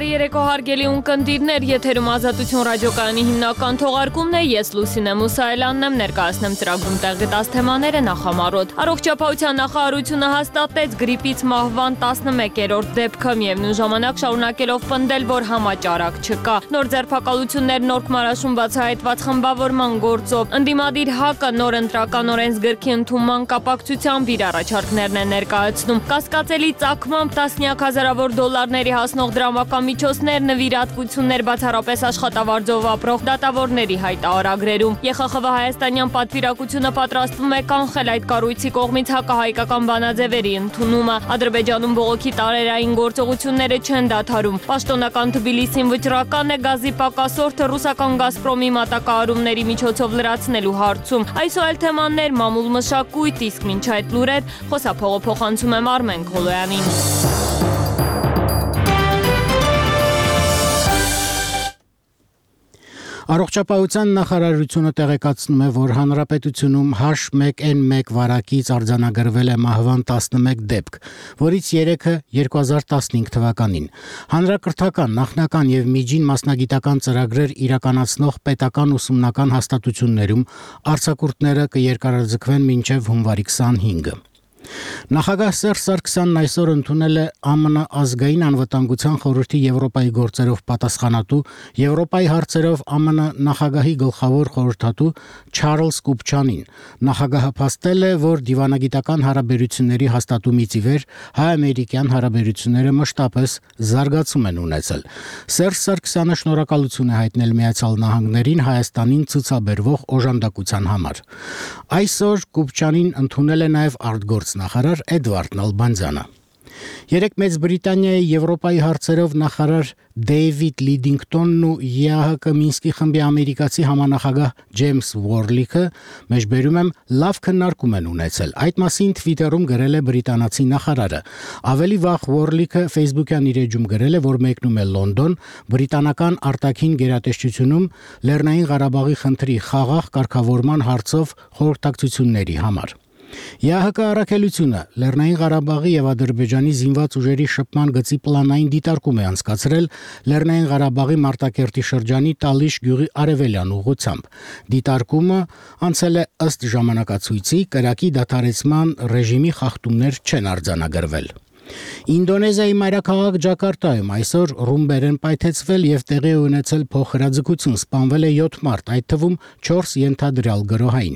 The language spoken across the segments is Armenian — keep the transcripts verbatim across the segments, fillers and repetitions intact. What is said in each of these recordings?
Բարի երեկո հարգելի ունկնդիրներ, եթերում Ազատություն ռադիոկայանի հիմնական թողարկումն է, ես Լուսինե Մուսայելյանն եմ, ներկայացնեմ ծրագրում տեղի տաս թեմաները նախամարոտ։ Առողջապահության նախարարությունը հաստատեց գրիպից մահվան տասնմեկերորդ դեպքը, միևնույն ժամանակ շարունակելով պնդել, որ համաճարակ չկա։ Նոր ձերբակալություններ Նորք Մարաշում բացահայտված խմբավորման գործով ընդդիմադիր ՀԱԿ-ը նոր ընտրական օրենսգրքի ընդունման կապակցությամբ իր առաջարկներն է ներկայացնում։ Կասկածելի ծագմամբ տասնյակ հազարավոր դոլարների հասնող դրամական նվիրատվություններ բացառապես աշխատավարձով ապրող դատավորների հայտարարագրերում։ ԵԽԽՎ հայաստանյան պատվիրակությունը պատրաստվում է կանխել այդ կառույցի կողմից հակահայկական բանաձևերի ընդունումը։ Ադրբեջանում բողոքի տարերային գործողությունները չեն դադարում։ Պաշտոնական Թբիլիսին վճռական է գազի պակասորդը ռուսական Գազպրոմի մատակարարումների միջոցով լրացնելու հարցում։ Այս ու այլ թեմաներ, մամուլ մշակույթ, իսկ մինչ այդ լուրեր խոսափողը փոխանցում եմ Արմեն Քոլոյանին։ Առողջապահության նախարարությունը տեղեկացնում է, որ հանրապետությունում H one N one վարակից արձանագրվել է մահվան տասնմեկ դեպք, որից երեքը երկու հազար տասնհինգ թվականին։ Հանրակրթական, նախնական եւ միջին մասնագիտական ծրագրեր իրականացնող պետական ուսումնական հաստատություններում արձակուրդները կերկարաձգվեն մինչեւ հունվարի քսանհինգը։ Նախագահ Սերժ Սարգսյանն այսօր ընդունել է ԱՄՆ ազգային անվտանգության խորհրդի Եվրոպայի գործերով պատասխանատու Եվրոպայի հարցերով ԱՄՆ նախագահի գլխավոր խորհրդատու Չարլզ Կուպչանին։ Նախագահը փաստել է, որ դիվանագիտական հարաբերությունների հաստատումից ի վեր հայ-ամերիկյան հարաբերությունները մշտապես զարգացում են ունեցել։ Սերժ Սարգսյանը շնորհակալություն է հայտնել Միացյալ Նահանգներին Հայաստանին ցուցաբերվող օժանդակության համար։ Այսօր Կուպչանին ընդունել է նաև արտգործնախարար Էդվարդ Նալբանդյանը։ Երեկ Մեծ Բրիտանիայի Եվրոպայի հարցերով նախարար Դեյվիդ Լիդինգտոնն ու ԵԱՀԿ Մինսկի խմբի ամերիկացի համանախագահ Ջեյմս Ուորլիքը մեջբերում եմ լավ քննարկում են ունեցել։ Այդ մասին Twitter-ում գրել է բրիտանացի նախարարը։ Ավելի վաղ Ուորլիքը Facebook-յան իր էջում գրել է, որ մեկնում է Լոնդոն բրիտանական արտաքին գերատեսչությունում Լեռնային Ղարաբաղի խնդրի խաղաղ կարգավորման հարցով խորհրդակցությունների համար։ ԵԱՀԿ առաքելությունը Լեռնային Ղարաբաղի եւ Ադրբեջանի զինված ուժերի շփման գծի պլանային դիտարկում է անցկացրել Լեռնային Ղարաբաղի Մարտակերտի շրջանի Տալիշ գյուղի արևելյան ուղղությամբ։ Դիտարկումը անցել է ըստ ժամանակացույցի, կրակի դադարեցման ռեժիմի խախտումներ չեն արձանագրվել։ Ինդոնեզիայի մայրաքաղաք Ջակարտայում այսօր ռումբեր են պայթեցվել եւ տեղի ունեցել փոխհրաձգություն, սպանվել է յոթ մարդ, այդ թվում չորս ենթադրյալ գրոհային։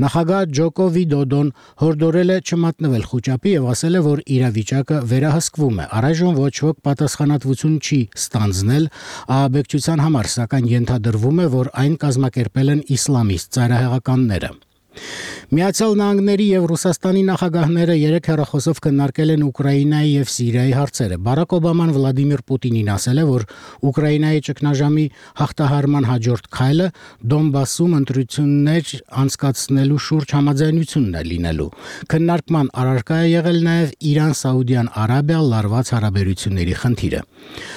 Նախագահ Ջոկո Վիդոդոն հորդորել է չմատնվել խուճապի եւ ասել է, որ իրավիճակը վերահսկվում է։ Առայժմ ոչ ոք պատասխանատվություն չի ստանձնել ահաբեկչության համար, սակայն ենթադրվում է, որ այն կազմակերպել են իսլամիստ ծայրահեղականները։ Միացյալ Նահանգների եւ Ռուսաստանի նախագահները երեք հեռախոսով քննարկել են Ուկրաինայի եւ Սիրիայի հարցերը։ Բարակ Օբաման Վլադիմիր Պուտինին ասել է, որ Ուկրաինայի ճգնաժամի հաղթահարման հաջորդ քայլը Դոնբասում ընտրություններ անցկացնելու շուրջ համաձայնությունն է լինելու։ Քննարկման առարկա է եղել նաեւ Իրան-Սաուդյան Արաբիա լարված հարաբերությունների խնդիրը։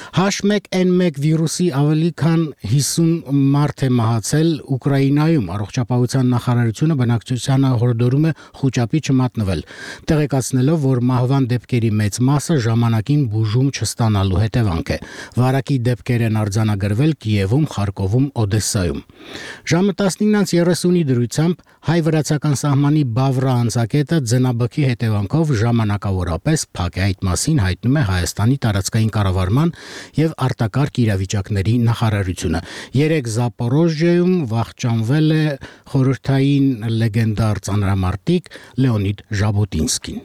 H one N one վիրուսի ավելի քան հիսուն մարդ է մահացել Ուկրաինայում։ Առողջապահության նախարարությունը բնակչությանը հորդորում է խուճապի չմատնվել, տեղեկացնելով, որ մահվան դեպքերի մեծ մասը ժամանակին բուժում չստանալու հետևանք է։ Վարակի դեպքեր են արձանագրվել Կիևում, Խարկովում, Օդեսայում։ Ժամը տասնինը երեսունի դրությամբ հայ-վրացական սահմանի Բավրա անցակետը ձնաբքի հետևանքով ժամանակավորապես փակ է։ Այդ մասին հայտնում է Հայաստանի տարածքային կառավարման եւ արտակարգ իրավիճակների նախարարությունը։ Երեք Զապորոժիայում վախճանվել է խորհրդային լեգենդար ծանրամարտիկ Լեոնիդ Ժաբոտինսկին։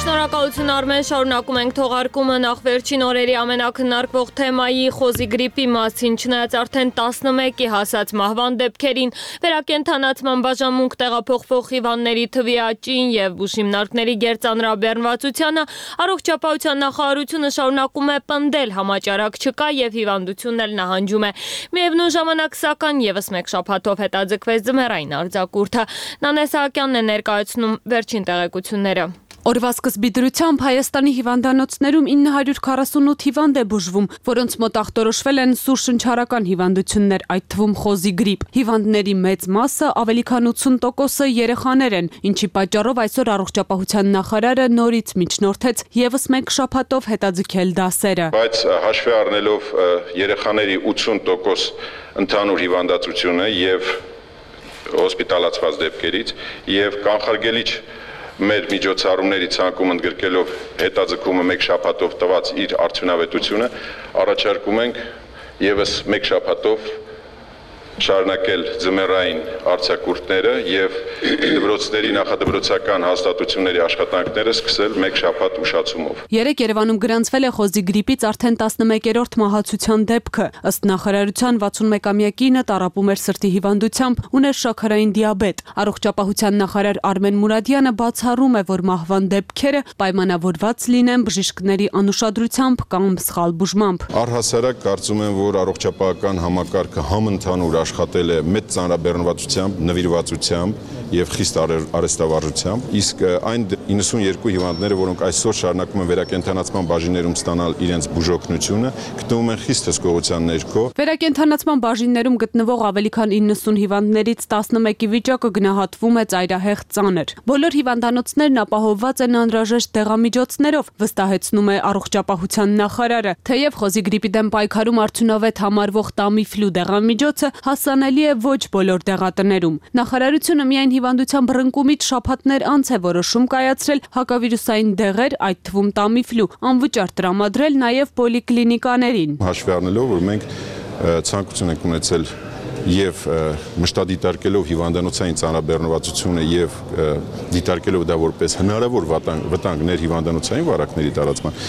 Շնորհակալություն Արմեն, շարունակում ենք թողարկումը նախ վերջին օրերի ամենակննարկվող թեմայի խոզի գրիպի մասին, չնայած արդեն տասնմեկի հասած մահվան դեպքերին, վերակենդանացման բաժանմունք տեղափոխվող հիվանդների թվի աճին եւ բուժհիմնարկների գերծանրաբեռնվածությանը, առողջապահության նախարարությունը շարունակում է պնդել, համաճարակ չկա եւ հիվանդությունն էլ նահանջում է։ Միևնույն ժամանակ, սակայն, եւս մեկ շաբաթով հետաձգվեց ձմեռային արձակուրդը։ Նանե Սահակյանն է ներկայացնում վերջին տեղեկությունները։ Օրվա սկզբի դրությամբ Հայաստանի հիվանդանոցներում ինը հարյուր քառասունութ հիվանդ է բուժվում, որոնց մոտ ախտորոշվել են սուր շնչառական հիվանդություններ, այդ թվում խոզի գրիպ։ Հիվանդների մեծ մասը, ավելի քան ութսուն տոկոսը երեխաներ են, ինչի պատճառով այսօր առողջապահության նախարարը նորից միջնորդեց եւս մեկ շաբաթով հետաձգել դասերը։ Բայց հաշվի առնելով երեխաների ութսուն տոկոս ընդհանուր հիվանդացությունը եւ հոսպիտալացված դեպքերից եւ կանխարգելիչ մեր միջոցառումների ցանկում ընդգրկելով հետաձգումը մեկ շաբաթով տված իր արդյունավետությունը, առաջարկում ենք եւս մեկ շաբաթով շարունակել ձմեռային արձակուրդները եւ դպրոցների նախադպրոցական հաստատությունների աշխատանքները սկսել մեկ շաբաթ ուշացումով։ Երեկ Երևանում գրանցվել է խոզի գրիպից արդեն տասնմեկերորդ մահացության դեպքը։ Ըստ նախարարության վաթսունմեկամյա կինը տառապում էր սրտի հիվանդությամբ, ուներ շաքարային դիաբետ։ Առողջապահության նախարար Արմեն Մուրադյանը բացառում է, որ մահվան դեպքերը պայմանավորված լինեն բժիշկների անուշադրությամբ կամ սխալ բուժմամբ։ Առհասարակ կարծում եմ, որ առողջապահական համակարգը համընդհանուր աշխատել է մեծ ծանրաբեռնվածությամբ, նվիրվածությամբ եւ խիստ արհեստավարժությամբ, իսկ այն իննսունյոթ հիվանդները, որոնք այսօր շարունակում են վերակենդանացման բաժիններում ստանալ իրենց բուժօգնությունը, գտնվում են խիստ հսկողության ներքո։ Վերակենդանացման բաժիններում գտնվող ավելի քան իննսուն հիվանդներից տասնմեկի վիճակը գնահատվում է ծայրահեղ ծանր։ Բոլոր հիվանդանոցներն ապահովված են անհրաժեշտ դեղամիջոցներով, վստահեցնում է առողջապահության նախարարը։ Թեև խոզի գրիպի դեմ պայքարում արդյունավետ համարվող Տամիֆլու դեղամիջոցը հասանելի է ոչ բոլոր դեղատներում։ Նախարարությունը միայն հիվանդության բռնկումից շաբաթներ անց է որոշում կայացրել հակավիրուսային դեղեր, այդ թվում Տամիֆլու, անվճար տրամադրել նաև պոլիկլինիկաներին։ Հաշվի առնելով, որ մենք ցանկություն ենք ունեցել եւ մշտադիտարկելով հիվանդանոցային ծանրաբեռնվածությունը եւ դիտարկելով դա որպես հնարավոր վտանգներ հիվանդանոցային վարակների տարածման,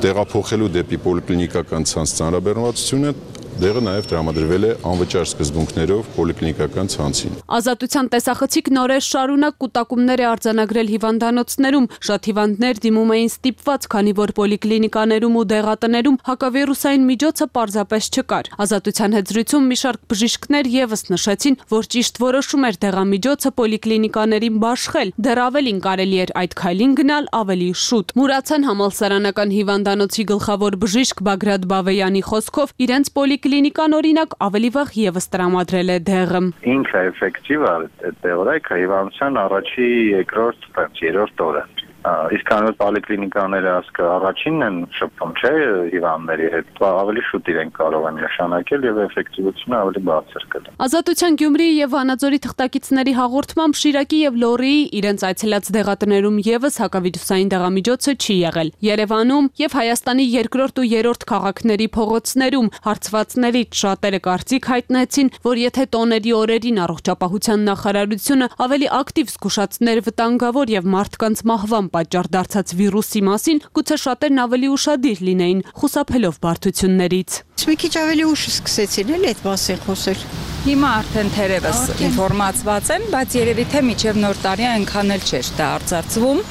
տեղափոխելու դեպի պոլիկլինիկական ցանց ծանրաբեռնվածությունը դեղը նաև տրամադրվել է անվճար սկզբունքներով պոլիկլինիկական ցանցին։ Ազատության տեսախցիկ նորեր շարունակ կուտակումներ է արձանագրել հիվանդանոցներում։ Շատ հիվանդներ դիմում էին ստիպված, քանի որ պոլիկլինիկաներում ու դեղատներում հակավիրուսային միջոցը պարզապես չկար։ Ազատության հետ զրույցում մի շարք բժիշկներ եւս նշեցին, որ ճիշտ որոշում էր դեղամիջոցը պոլիկլինիկաներին բաշխել։ Դեռ ավելին կարելի էր այդ քայլին գնալ ավելի շուտ։ Մուրացան համալսարանական հիվանդանոցի գլխավոր բժիշկ Բագրատ Բավեյանի խոսքով իրենց պոլիկ Կլինիկան օրինակ ավելի վաղ եւս տրամադրել է դեղը։ Ինքը էֆեկտիվ է դեղորայքը հիվանդության առաջի երկրորդ, երրորդ օրը։ Իսկ անոր պոլիկլինիկաները ասկա առաջինն են շփվում, չէ, հիվանդների հետ, ավելի շուտ իրենք կարող են նշանակել եւ էֆեկտիվությունը ավելի բարձր կլինի։ Ազատության Գյումրիի եւ Վանաձորի թղթակիցների հաղորդմամբ Շիրակի եւ Լոռիի իրենց այցելած դեղատներում եւս հակավիրուսային դեղամիջոցը չի եղել։ Երևանում եւ Հայաստանի երկրորդ ու երրորդ քաղաքների փողոցներում հարցվածներից շատերը կարծիք հայտնեցին, որ եթե տոների օրերին առողջապահության նախարարությունը ավելի ակտիվ զգուշացներ վտանգավոր եւ մարդկանց մահվան պատճառ դարձած վիրուսի մասին, գուցե շատերն ավելի ուշադիր լինեին, խուսափելով բարդություններից։ Մի քիչ ավելի ուշ սկսեցին էլ այդ մասին խոսել։ Հիմա արդեն թերևս ինֆորմացված են, բայց երևի թե մինչև նոր տարի այնքան էլ չէր դա արծարծվում։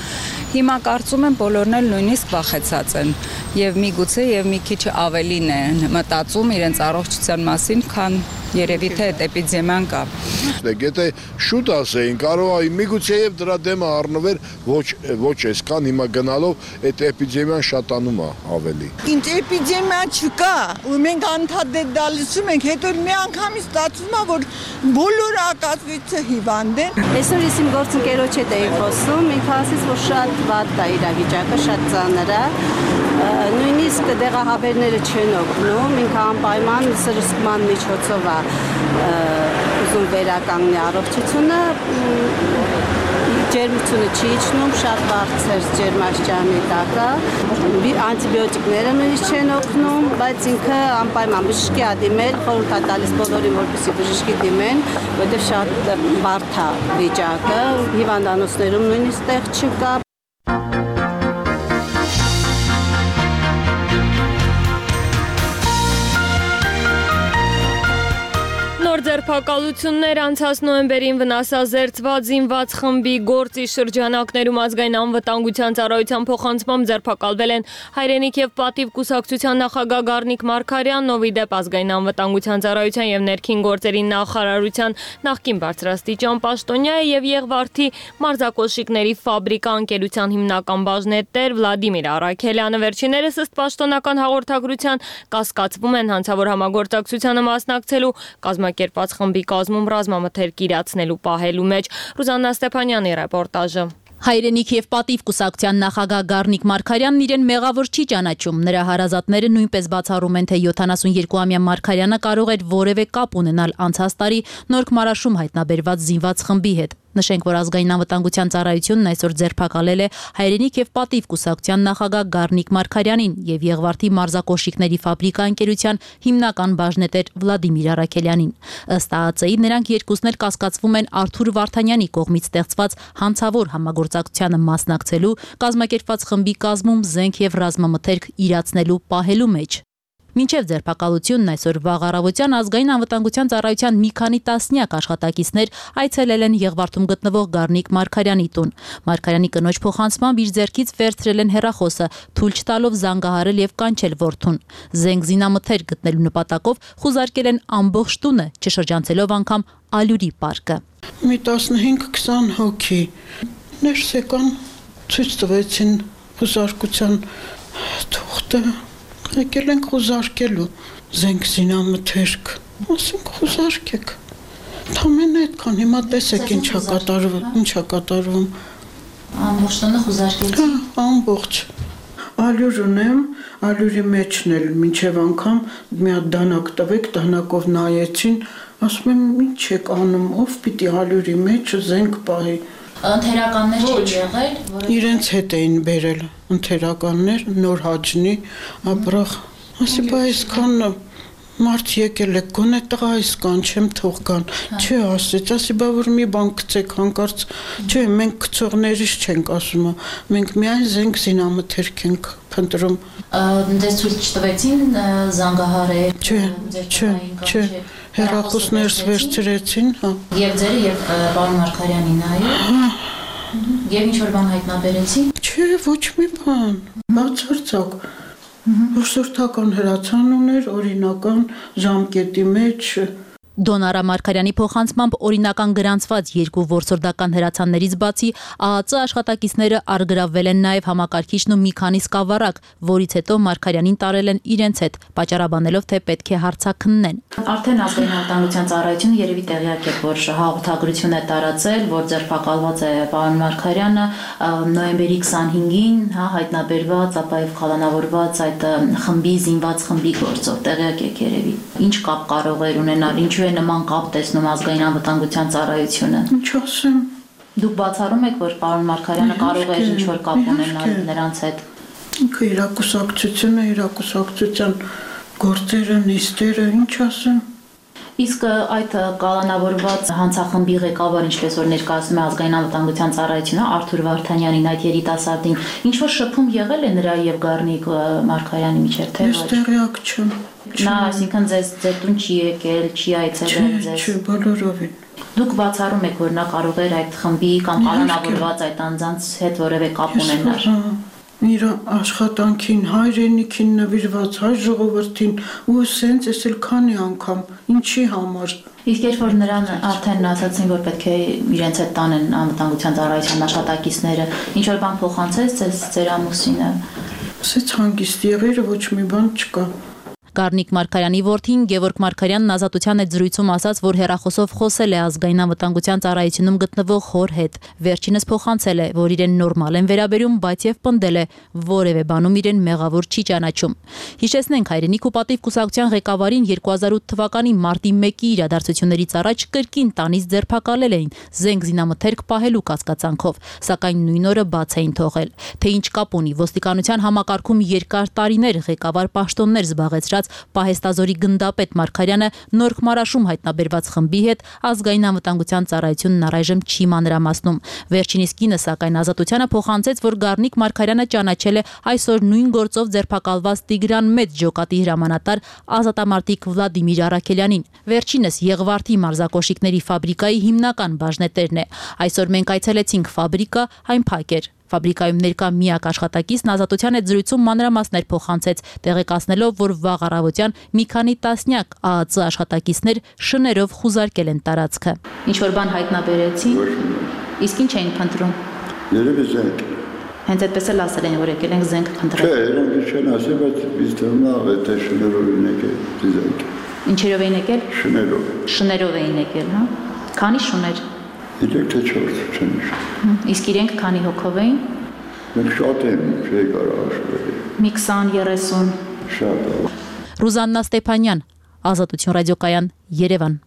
Հիմա կարծում եմ բոլորն էլ նույնիսկ վախեցած են եւ միգուցե եւ մի քիչ ավելին են մտածում իրենց առողջության մասին, քան երևի թե այդ էպիդեմիան կա։ Եթե շուտ ասեին, կարող է միգուցե եւ դրա դեմը առնվեր ոչ ոչ այսքան, հիմա գնալով այդ էպիդեմիան շատանում է ավելի։ Ինչ էպիդեմիա չկա, ու մենք անդադար դալիսում ենք, հետո մի անգամից ստացվում է, որ բոլոր ակածվիցը հիվանդ են։ Այսօր ես իմ գործընկերոջ հետ էի խոսում, ինքը ասեց, որ շատ վատ է իրավիճակը, շատ ծանր է։ Նույնիսկ դեղահաբերները չեն օգնում, ինքը անպայման սրսկման միջոցով է ուզում վերականգնել առողջությունը, ջերմությունը չի իջնում, շատ բարձր ջերմաստիճանի տակ է, անտիբիոտիկները նույնիսկ չեն օգնում, բայց ինքը անպայման բժշկի ա դիմել, խորհուրդ ա տալիս բոլորին, որպեսզի բժշկի դիմեն, որտեղ շատ բարդ է վիճակը, հիվանդանոցներում նույնիսկ տեղ չկա։ ձերբակալություններ անցած նոյեմբերին վնասազերծված զինված խմբի գործի շրջանակներում ազգային անվտանգության ծառայության փոխանցմամբ ձերբակալվել են Հայրենիք եւ պատիվ կուսակցության նախագահ Գառնիկ Մարգարյանն, ով ի դեպ ազգային անվտանգության ծառայության եւ ներքին գործերի նախարարության նախկին բարձրաստիճան պաշտոնյա է եւ Եղվարդի մարզակոշիկների ֆաբրիկա ընկերության հիմնական բաժնետեր Վլադիմիր Արաքելյանը վերջիններս ըստ պաշտոնական հաղորդագրության կասկածվում են հանցավոր համագործակցությանը մասնակցելու կազմակերպված խմբի կազմում ռազմամթերք իրացնելու պահելու մեջ։ Ռուզաննա Ստեփանյանի ռեպորտաժը։ Հայրենիք եւ պատիվ կուսակցության նախագահ Գառնիկ Մարգարյանն իրեն մեղավոր չի ճանաչում։ Նրա հարազատները նույնպես բացառում են, թե յոթանասունյոթամյա Մարգարյանը կարող էր որևէ կապ ունենալ անցած տարի Նորք Մարաշում հայտնաբերված զինված խմբի հետ։ Նշենք, որ ազգային անվտանգության ծառայությունն այսօր ձերբակալել է Հայրենիք եւ պատիվ կուսակցության նախագահ Գառնիկ Մարգարյանին եւ Եղվարդի մարզակոշիկների ֆաբրիկա ընկերության հիմնական բաժնետեր Վլադիմիր Արաքելյանին։ Ըստ ԱԱԾ-ի նրանք երկուսն էլ կասկածվում են Արթուր Վարդանյանի կողմից ստեղծված հանցավոր համագործակցությանը մասնակցելու, կազմակերպված խմբի կազմում զենք եւ ռազմամթերք իրացնելու պահելու մեջ։ Մինչև ձերբակալությունն այսօր վաղ առավոտյան ազգային անվտանգության ծառայության մի քանի տասնյակ աշխատակիցներ այցելել են Եղվարդում գտնվող Գառնիկ Մարգարյանի տուն։ Մարգարյանի կնոջ փոխանցմամբ իր ձեռքից վերցրել են հեռախոսը, թույլ չտալով զանգահարել եւ կանչել որդուն։ Զենք զինամթերք գտնելու նպատակով խուզարկել են ամբողջ տունը, չշրջանցելով անգամ Ալյուրի պարկը։ Մի տասնհինգ քսան հոգի ներս եկան, ցույց տվեցին խուզարկության թուղթը։ Եկել ենք խուզարկելու զենք զինամթերք, ասենք խուզարկեք։ Թամենը այդքան, հիմա տեսեք ինչ ա կատարվում, ինչ ա կատարվում։ Ամբողջ տոնը խուզարկեցի։ Հա, ամբողջ։ Ալյուր ունեմ, ալյուրի մեջն էլ մինչև անգամ մի հատ դանակ տվեք, դանակով նայեցին, ասում եմ ինչ եք անում, ով պիտի ալյուրի մեջ զենք պահի։ Ընթերականներ չեն եղել, իրենց հետ էին բերել ընթերականներ, նոր հաջնի, ապրախ, ասի բա այսքան մարդ եկել եք, գոնե տղա այսքան չեմ թող կան, չէ ասեց, ասի բա որ մի բան գցեք հանկարծ, չէ մենք գցողներից չենք ասում, մենք միայն զենք զինամթերք ենք փնտրում։ Ձեզ ցույց չտվեցին զանգահարել, չէ, չէ, չէ, հեռախոսներս վերցրեցին, հա։ Եվ ձերը եւ պարոն Մարգարյանին, այո։ Եվ ինչ որ բան հայտնաբերեցին։ Չէ, ոչ մի բան, բացարձակ։ Որսորդական հրացան ուներ, օրինական ժամկետի մեջ։ Դոնարա Մարգարյանի փոխանցմամբ օրինական գրանցված երկու որսորդական հրացաններից բացի ԱԱԾ աշխատակիցները առգրավվել են նաև համակարգիչն ու մի քանի սկավառակ, որից հետո Մարգարյանին տարել են իրենց հետ, պատճառաբանելով, թե պետք է հարցաքննեն։ Արդեն ազգային անվտանգության ծառայությունը երևի տեղյակ է, որ հաղորդագրություն է տարածել, որ ձերբակալված է պարոն Մարգարյանը նոյեմբերի քսանհինգին, հա, հայտնաբերված, ապա եւ խալանավորված այդ խմբի զինված խմբի գործով, տեղյակ եք երևի։ Ինչ կապ կարող էր ունենալ, ինչու է նման կապ տեսնում ազգային անվտանգության ծառայությունը։ Ինչ ասեմ։ Դուք բացառում եք, որ պարոն Մարգարյանը կարող է ինչ որ կապ ունենալ նրանց հետ։ Ինքը իր կուսակցությունը, իր կուսակցության գործերը, նիստերը, ինչ ասեմ։ Իսկ այդ կալանավորված հանցախմբի ղեկավար, ինչպես որ ներկայացնում է ազգային անվտանգության ծառայությունը Արթուր Վարդանյանին, այդ երիտասարդին, ինչ որ շփում եղել է նրա եւ Գառնիկ Մարգարյանի միջեւ, թե ոչ։ Ես տեղյակ չեմ։ Նա, այսինքն ձեզ ձեր տուն չի եկել, չի այցելել ձեզ։ Չէ, բոլորովին։ Դուք բացառում եք, որ նա կարող էր այդ խմբի կամ կալանավորված այդ անձանց հետ որևէ կապ ունենալ։ Իր աշխատանքին, հայրենիքին նվիրված, հայ ժողովրդին ու սենց էս էլ քանի անգամ, ինչի համար։ Իսկ երբ որ նրան արդեն ասացին, որ պետք է իրենց հետ տանեն անվտանգության ծառայության աշխատակիցները, ինչ որ բան փոխանցեց ձեզ ձեր ամուսինը։ Ասեց հանգիստ եղիր, ոչ մի բան չկա։ Գառնիկ Մարգարյանի որդին Գևորգ Մարգարյանն ազատության այդ զրույցում ասաց, որ հեռախոսով խոսել է ազգային անվտանգության ծառայությունում գտնվող հոր հետ։ Վերջինս փոխանցել է, որ իրեն նորմալ են վերաբերում, բայց եւ պնդել է, որևէ բանում իրեն մեղավոր չի ճանաչում։ Հիշեցնենք, Հայրենիք ու պատիվ կուսակցության ղեկավարին երկու հազար ութ թվականի մարտի մեկի իրադարձություններից առաջ կրկին տանից ձերբակալել էին զենք զինամթերք պահելու կասկածանքով, սակայն նույն օրը բաց էին թողել։ Թե ինչ կապ ունի ոստիկանության համակարգում երկար տարիներ ղեկավար պաշտոններ զբաղեցրած զբաղեցրած պահեստազորի գնդապետ Մարգարյանը Նոր Խմարաշում հայտնաբերված խմբի հետ ազգային անվտանգության ծառայությունն առայժմ չի մանրամասնում։ Վերջինիս կինը սակայն Ազատությանը փոխանցեց, որ Գառնիկ Մարգարյանը ճանաչել է այսօր նույն գործով ձերբակալված Տիգրան Մեծ ջոկատի հրամանատար ազատամարտիկ Վլադիմիր Արաքելյանին։ Վերջինս Եղվարդի մարզակոշիկների ֆաբրիկայի հիմնական բաժնետերն է։ Այսօր մենք այցելեցինք ֆաբրիկա, այն փակ էր։ Ֆաբրիկայում ներկա միակ աշխատակիցն Ազատության հետ զրույցում մանրամասներ փոխանցեց, տեղեկացնելով, որ վաղ առավոտյան մի քանի տասնյակ ԱԱԾ աշխատակիցներ շներով խուզարկել են տարածքը։ Ինչ որ բան հայտնաբերեցին։ Իսկ ինչ էին փնտրում։ Երևի զենք։ Հենց այդպես էլ ասել են, որ եկել ենք զենք փնտրել։ Չէ, իրանք չեն ասել, բայց ինձ թվում է, թե շներով են եկել զենք։ Ինչերով էին եկել։ Շներով։ Շներով էին եկել, հա։ Քանի շուներ։ Իրենք թե չորս չեն իշ։ Իսկ իրենք քանի հոգով էին։ Մենք շատ են, չի կարող հաշվել։ Մի քսան երեսուն։ Շատ։ Ռուզաննա Ստեփանյան, Ազատություն ռադիոկայան, Երևան։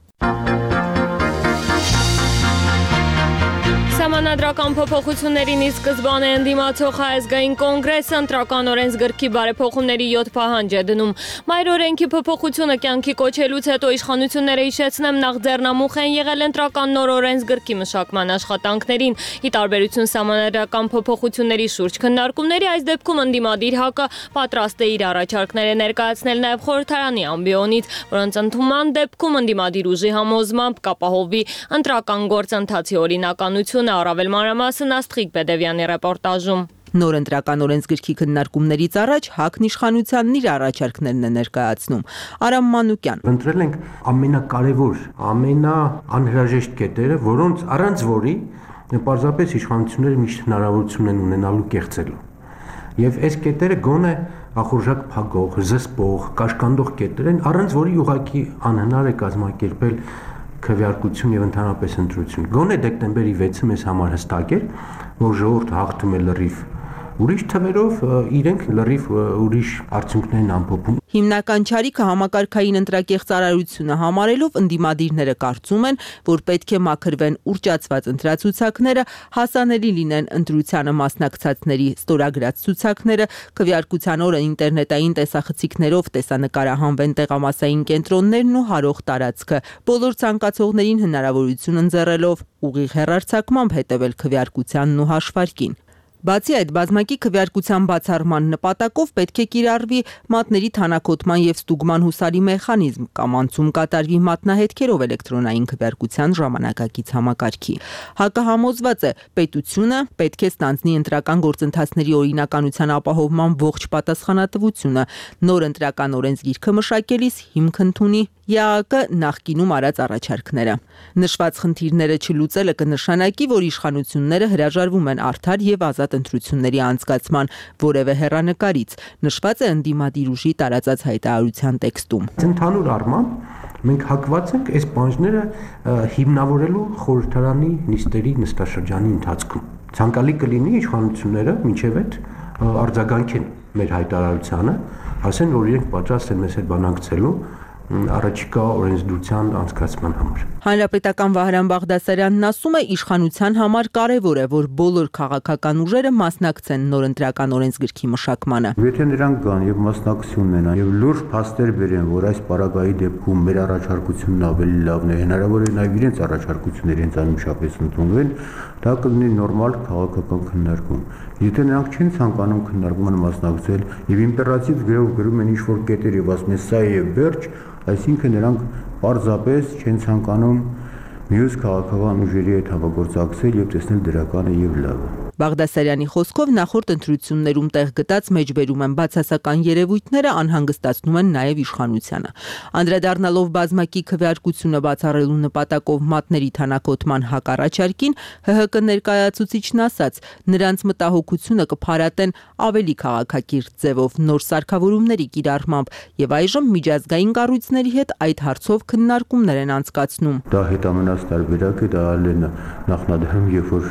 Սահմանադրական փոփոխություններին ի սկզբանե ընդդիմացող Հայազգային կոնգրեսը ընտրական օրենսգրքի բարեփոխումների յոթ պահանջ է դնում։ Մայր օրենքի փոփոխությունը կյանքի կոչելուց հետո իշխանությունները հիշեցնեմ նախ ձեռնամուխ են եղել ընտրական նոր օրենսգրքի մշակման աշխատանքներին։ Ի տարբերություն սահմանադրական փոփոխությունների շուրջ քննարկումների, այս դեպքում ընդդիմադիր ՀԱԿ-ը պատրաստ է իր առաջարկները ներկայացնել նաև խորհրդարանի ամբիոնից, որոնց ընդունման դեպքում ընդդիմադիր ուժի համոզմամբ կապահովի ընտրական գործընթացի օրինականությունը։ Առավել մանրամասն Աստղիկ Բեդևյանի ռեպորտաժում։ Նոր ընտրական օրենսգրքի քննարկումներից առաջ ՀԱԿ-ն իշխանությանն իր առաջարկներն է ներկայացնում։ Արամ Մանուկյան։ Ընտրել ենք ամենակարևոր, ամենաանհրաժեշտ կետերը, որոնց առանց որի պարզապես իշխանությունները միշտ հնարավորություն են ունենալու կեղծելու։ Եվ այս կետերը գոնե ախորժակ փակող, զսպող, կաշկանդող կետեր են, առանց որի ուղղակի անհնար է կազմակերպել քվեարկություն եւ ընդհանրապես ընտրություն։ Գոնե դեկտեմբերի վեցը մեզ համար հստակ էր, որ ժողովուրդը հաղթում է լրիվ ուրիշ թվերով, իրենք լրիվ ուրիշ արդյունքներ են ամփոփում։ Հիմնական չարիքը համակարգային ընտրակեղ ծառայությունը համարելով ընդդիմադիրները կարծում են, որ պետք է մաքրվեն ուռճացված ընտրացուցակները, հասանելի լինեն ընտրությանը մասնակցածների ստորագրած ցուցակները, քվեարկության օրը ինտերնետային տեսախցիկներով տեսանկարահանվեն տեղամասային կենտրոններն ու հարող տարածքը, բոլոր ցանկացողներին հնարավորություն ընձեռելով ուղիղ հեռարձակմամբ հետևել քվեարկությանն ու հաշվարկին։ Բացի այդ, բազմակի քվեարկության բացառման նպատակով պետք է կիրառվի մատների թանաքոտման եւ ստուգման հուսալի մեխանիզմ կամ անցում կատարվի մատնահետքերով էլեկտրոնային քվեարկության ժամանակակից համակարգի։ ՀԱԿ-ը համոզված է, պետությունը պետք է ստանձնի ընտրական գործընթացների օրինականության ապահովման ողջ պատասխանատվությունը, նոր ընտրական օրենսգիրքը մշակելիս հիմք ընդունի ԵԱԿ նախկինում արած առաջարկները։ Նշված խնդիրները չլուծելը կնշանակի, որ իշխանությունները հրաժարվում են արդար եւ ազատ ընտրությունների անցկացման որևէ հեռանկարից, նշված է ընդդիմադիր ուժի տարածած հայտարարության տեքստում։ Ընդհանուր առմամբ մենք հակված ենք այս բանջները հիմնավորելու խորհրդարանի նիստերի նստաշրջանի ընթացքում։ Ցանկալի կլինի իշխանությունները մինչև այդ արձագանքեն մեր հայտարարությանը, ասեն, որ իրենք պատրաստ են մեզ հետ բանակցելու առաջիկա օրենսդրության անցկացման համար։ Հանրապետական Վահրամ Բաղդասարյանն ասում է, իշխանության համար կարևոր է, որ բոլոր քաղաքական ուժերը մասնակցեն նոր ընտրական օրենսգրքի մշակմանը։ Եթե նրանք գան եւ մասնակցություն ունենան եւ լուրջ փաստեր բերեն, որ այս պարագայի դեպքում մեր առաջարկությունն ավելի լավն է, հնարավոր է նաեւ իրենց առաջարկությունները իրենց անմիջապես ընդունվեն, դա կլինի նորմալ քաղաքական քննարկում։ Եթե նրանք չեն ցանկանում քննարկմանը մասնակցել եւ իմպերատիվ գրով գրում են ինչ-որ կետեր եւ ասում են սա է վերջ, այսինքն նրանք պարզապես չեն ցանկանում մյուս քաղաքական ուժերի հետ համագործակցել եւ տեսնել դրականը եւ լավը։ Բաղդասարյանի խոսքով նախորդ ընտրություններում տեղ գտած մեջբերում են բացասական երևույթները անհանգստացնում են նաև իշխանությանը։ Անդրադառնալով բազմակի քվեարկությունը բացառելու նպատակով մատների թանաքոտման հակառաջարկին, ՀՀԿ ներկայացուցիչն ասաց, նրանց մտահոգությունը կփարատեն ավելի քաղաքակիրթ ձևով նոր սարքավորումների կիրառմամբ եւ այժմ միջազգային կառույցների հետ այդ հարցով քննարկումներ են անցկացնում։ Դա հետամնաց տարբերակ է, դա նախնադարում, երբ որ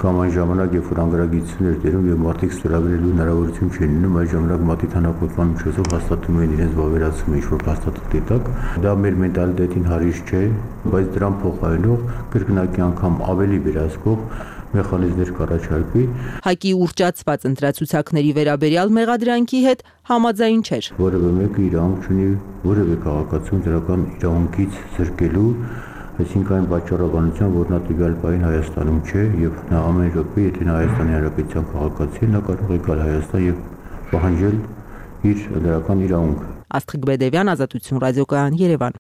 կամ այն ժամանակ, երբ որ անգրագիտություններ դերում եւ մարդիկ ստորագրելու հնարավորություն չեն ունենում, այդ ժամանակ մատի թանաքոտման միջոցով հաստատում են իրենց վավերացումը ինչ-որ հաստատիկ դետակ։ Դա մեր մենտալիտետին հարիշ չէ, բայց դրան փոխարինող կրկնակի անգամ ավելի վերահսկող մեխանիզմներ կառաջարկվի։ Հայկի ուռճացված ընտրացուցակների վերաբերյալ մեղադրանքի հետ համաձայն չէր։ Որևէ մեկը իրավունք չունի որևէ քաղաքացուն դրական իրավունքից զրկելու, այսինքն այն պատճառաբանությամբ, որ նա տվյալ պահին Հայաստանում չէ եւ նա ամեն րոպե, եթե նա Հայաստանի Հանրապետության քաղաքացի է, նա կարող է գալ Հայաստան եւ պահանջել իր դրական իրավունքը։ Աստղիկ Բեդևյան, Ազատություն ռադիոկայան, Երևան։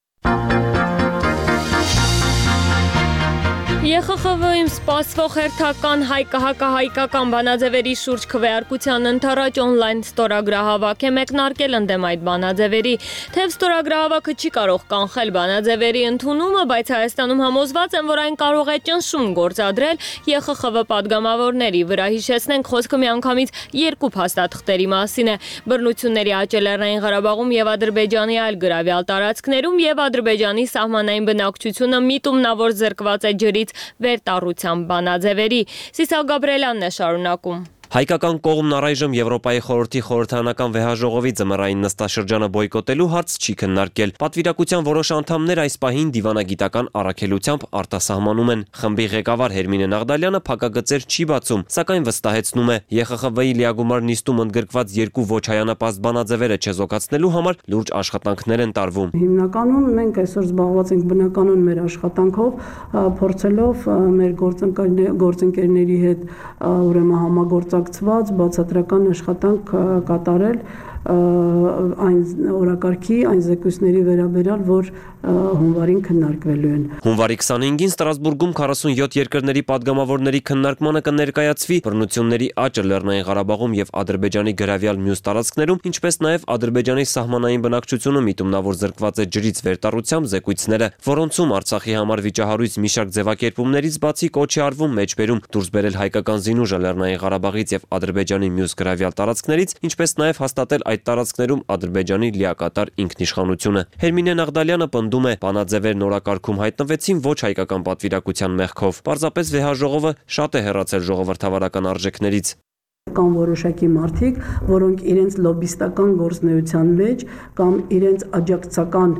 Է Խ Խ V-ում սպասվող հերթական հայկահակահայկական բանաձևերի շուրջ քվեարկության ընթരാճ օնլայն ստորագրահավաք է մեկնարկել ընդդեմ այդ բանաձևերի։ Թեև ստորագրահավաքը չի կարող կանխել բանաձևերի ընդունումը, բայց Հայաստանում համոզված են, որ այն կարող է ճնշում գործադրել Է Խ Խ V պատգամավորների վրա։ Հիշեցնենք, խոսքը միանգամից երկու փաստաթղթերի մասին է։ Բռնությունների աճը Լեռնային Ղարաբաղում եւ Ադրբեջանի այլ գրավյալ տարածքներում եւ Ադրբեջանի սահմանային բնակչությունը միտումնավոր զրկված է ջրից վերտառության բանաձևերի։ Սիսա Գաբրելյանն է շարունակում։ Հայկական կողմն առայժմ Եվրոպայի խորհրդի խորհրդարանական վեհաժողովի ձմեռային նստաշրջանը բոյկոտելու հարց չի քննարկել։ Պատվիրակության որոշ անդամներ այս պահին դիվանագիտական առաքելությամբ արտասահմանում են։ Խմբի ղեկավար Հերմինե Նաղդալյանը փակագծեր չի բացում, սակայն վստահեցնում է, Է Խ Խ V-ի լիագումար նիստում ընդգրկված երկու ոչ հայանապաստ բանաձևերը չեզոքացնելու համար լուրջ աշխատանքներ են տարվում։ Հիմնականում մենք այսօր զբաղված ենք բնականon մեր աշխատանքով, փորձելով մեր գործընկերների հետ ուրեմն համագործակցված բացատրական աշխատանք կատարել այն օրակարգի, այն զեկույցների վերաբերյալ, որ հունվարին քննարկվելու են։ Հունվարի քսանհինգին Ստրասբուրգում քառասունյոթ երկրների падգամավորների քննարկմանը կներկայացվի բռնությունների աճը Լեռնային Ղարաբաղում եւ Ադրբեջանի գրավյալ մյուս տարածքներում, ինչպես նաեւ Ադրբեջանի սահմանային բնակչությունը միտումնավոր զրկված է ջրից վերտառությամբ զեկույցները, որոնցում Արցախի համար վիճահարույց մի շարք ձևակերպումներից բացի կոչ է արվում մեջբերում դուրս բերել հայկական զինուժը Լեռնային Ղարաբաղից եւ Ադրբեջանի մյուս գրավյալ տարածքներից, ինչպես նաեւ հաստատել այդ տարածքներում Ադրբեջանի լիակատար ինքնիշխանությունը։ Հերմինե Նաղդալյանը պնդում է, բանաձևերն օրակարգում հայտնվեցին ոչ հայկական պատվիրակության մեղքով։ Պարզապես վեհաժողովը շատ է հեռացել ժողովրդավարական արժեքներից։ Կան որոշակի մարդիկ, որոնք իրենց լոբիստական գործնեության մեջ կամ իրենց աջակցական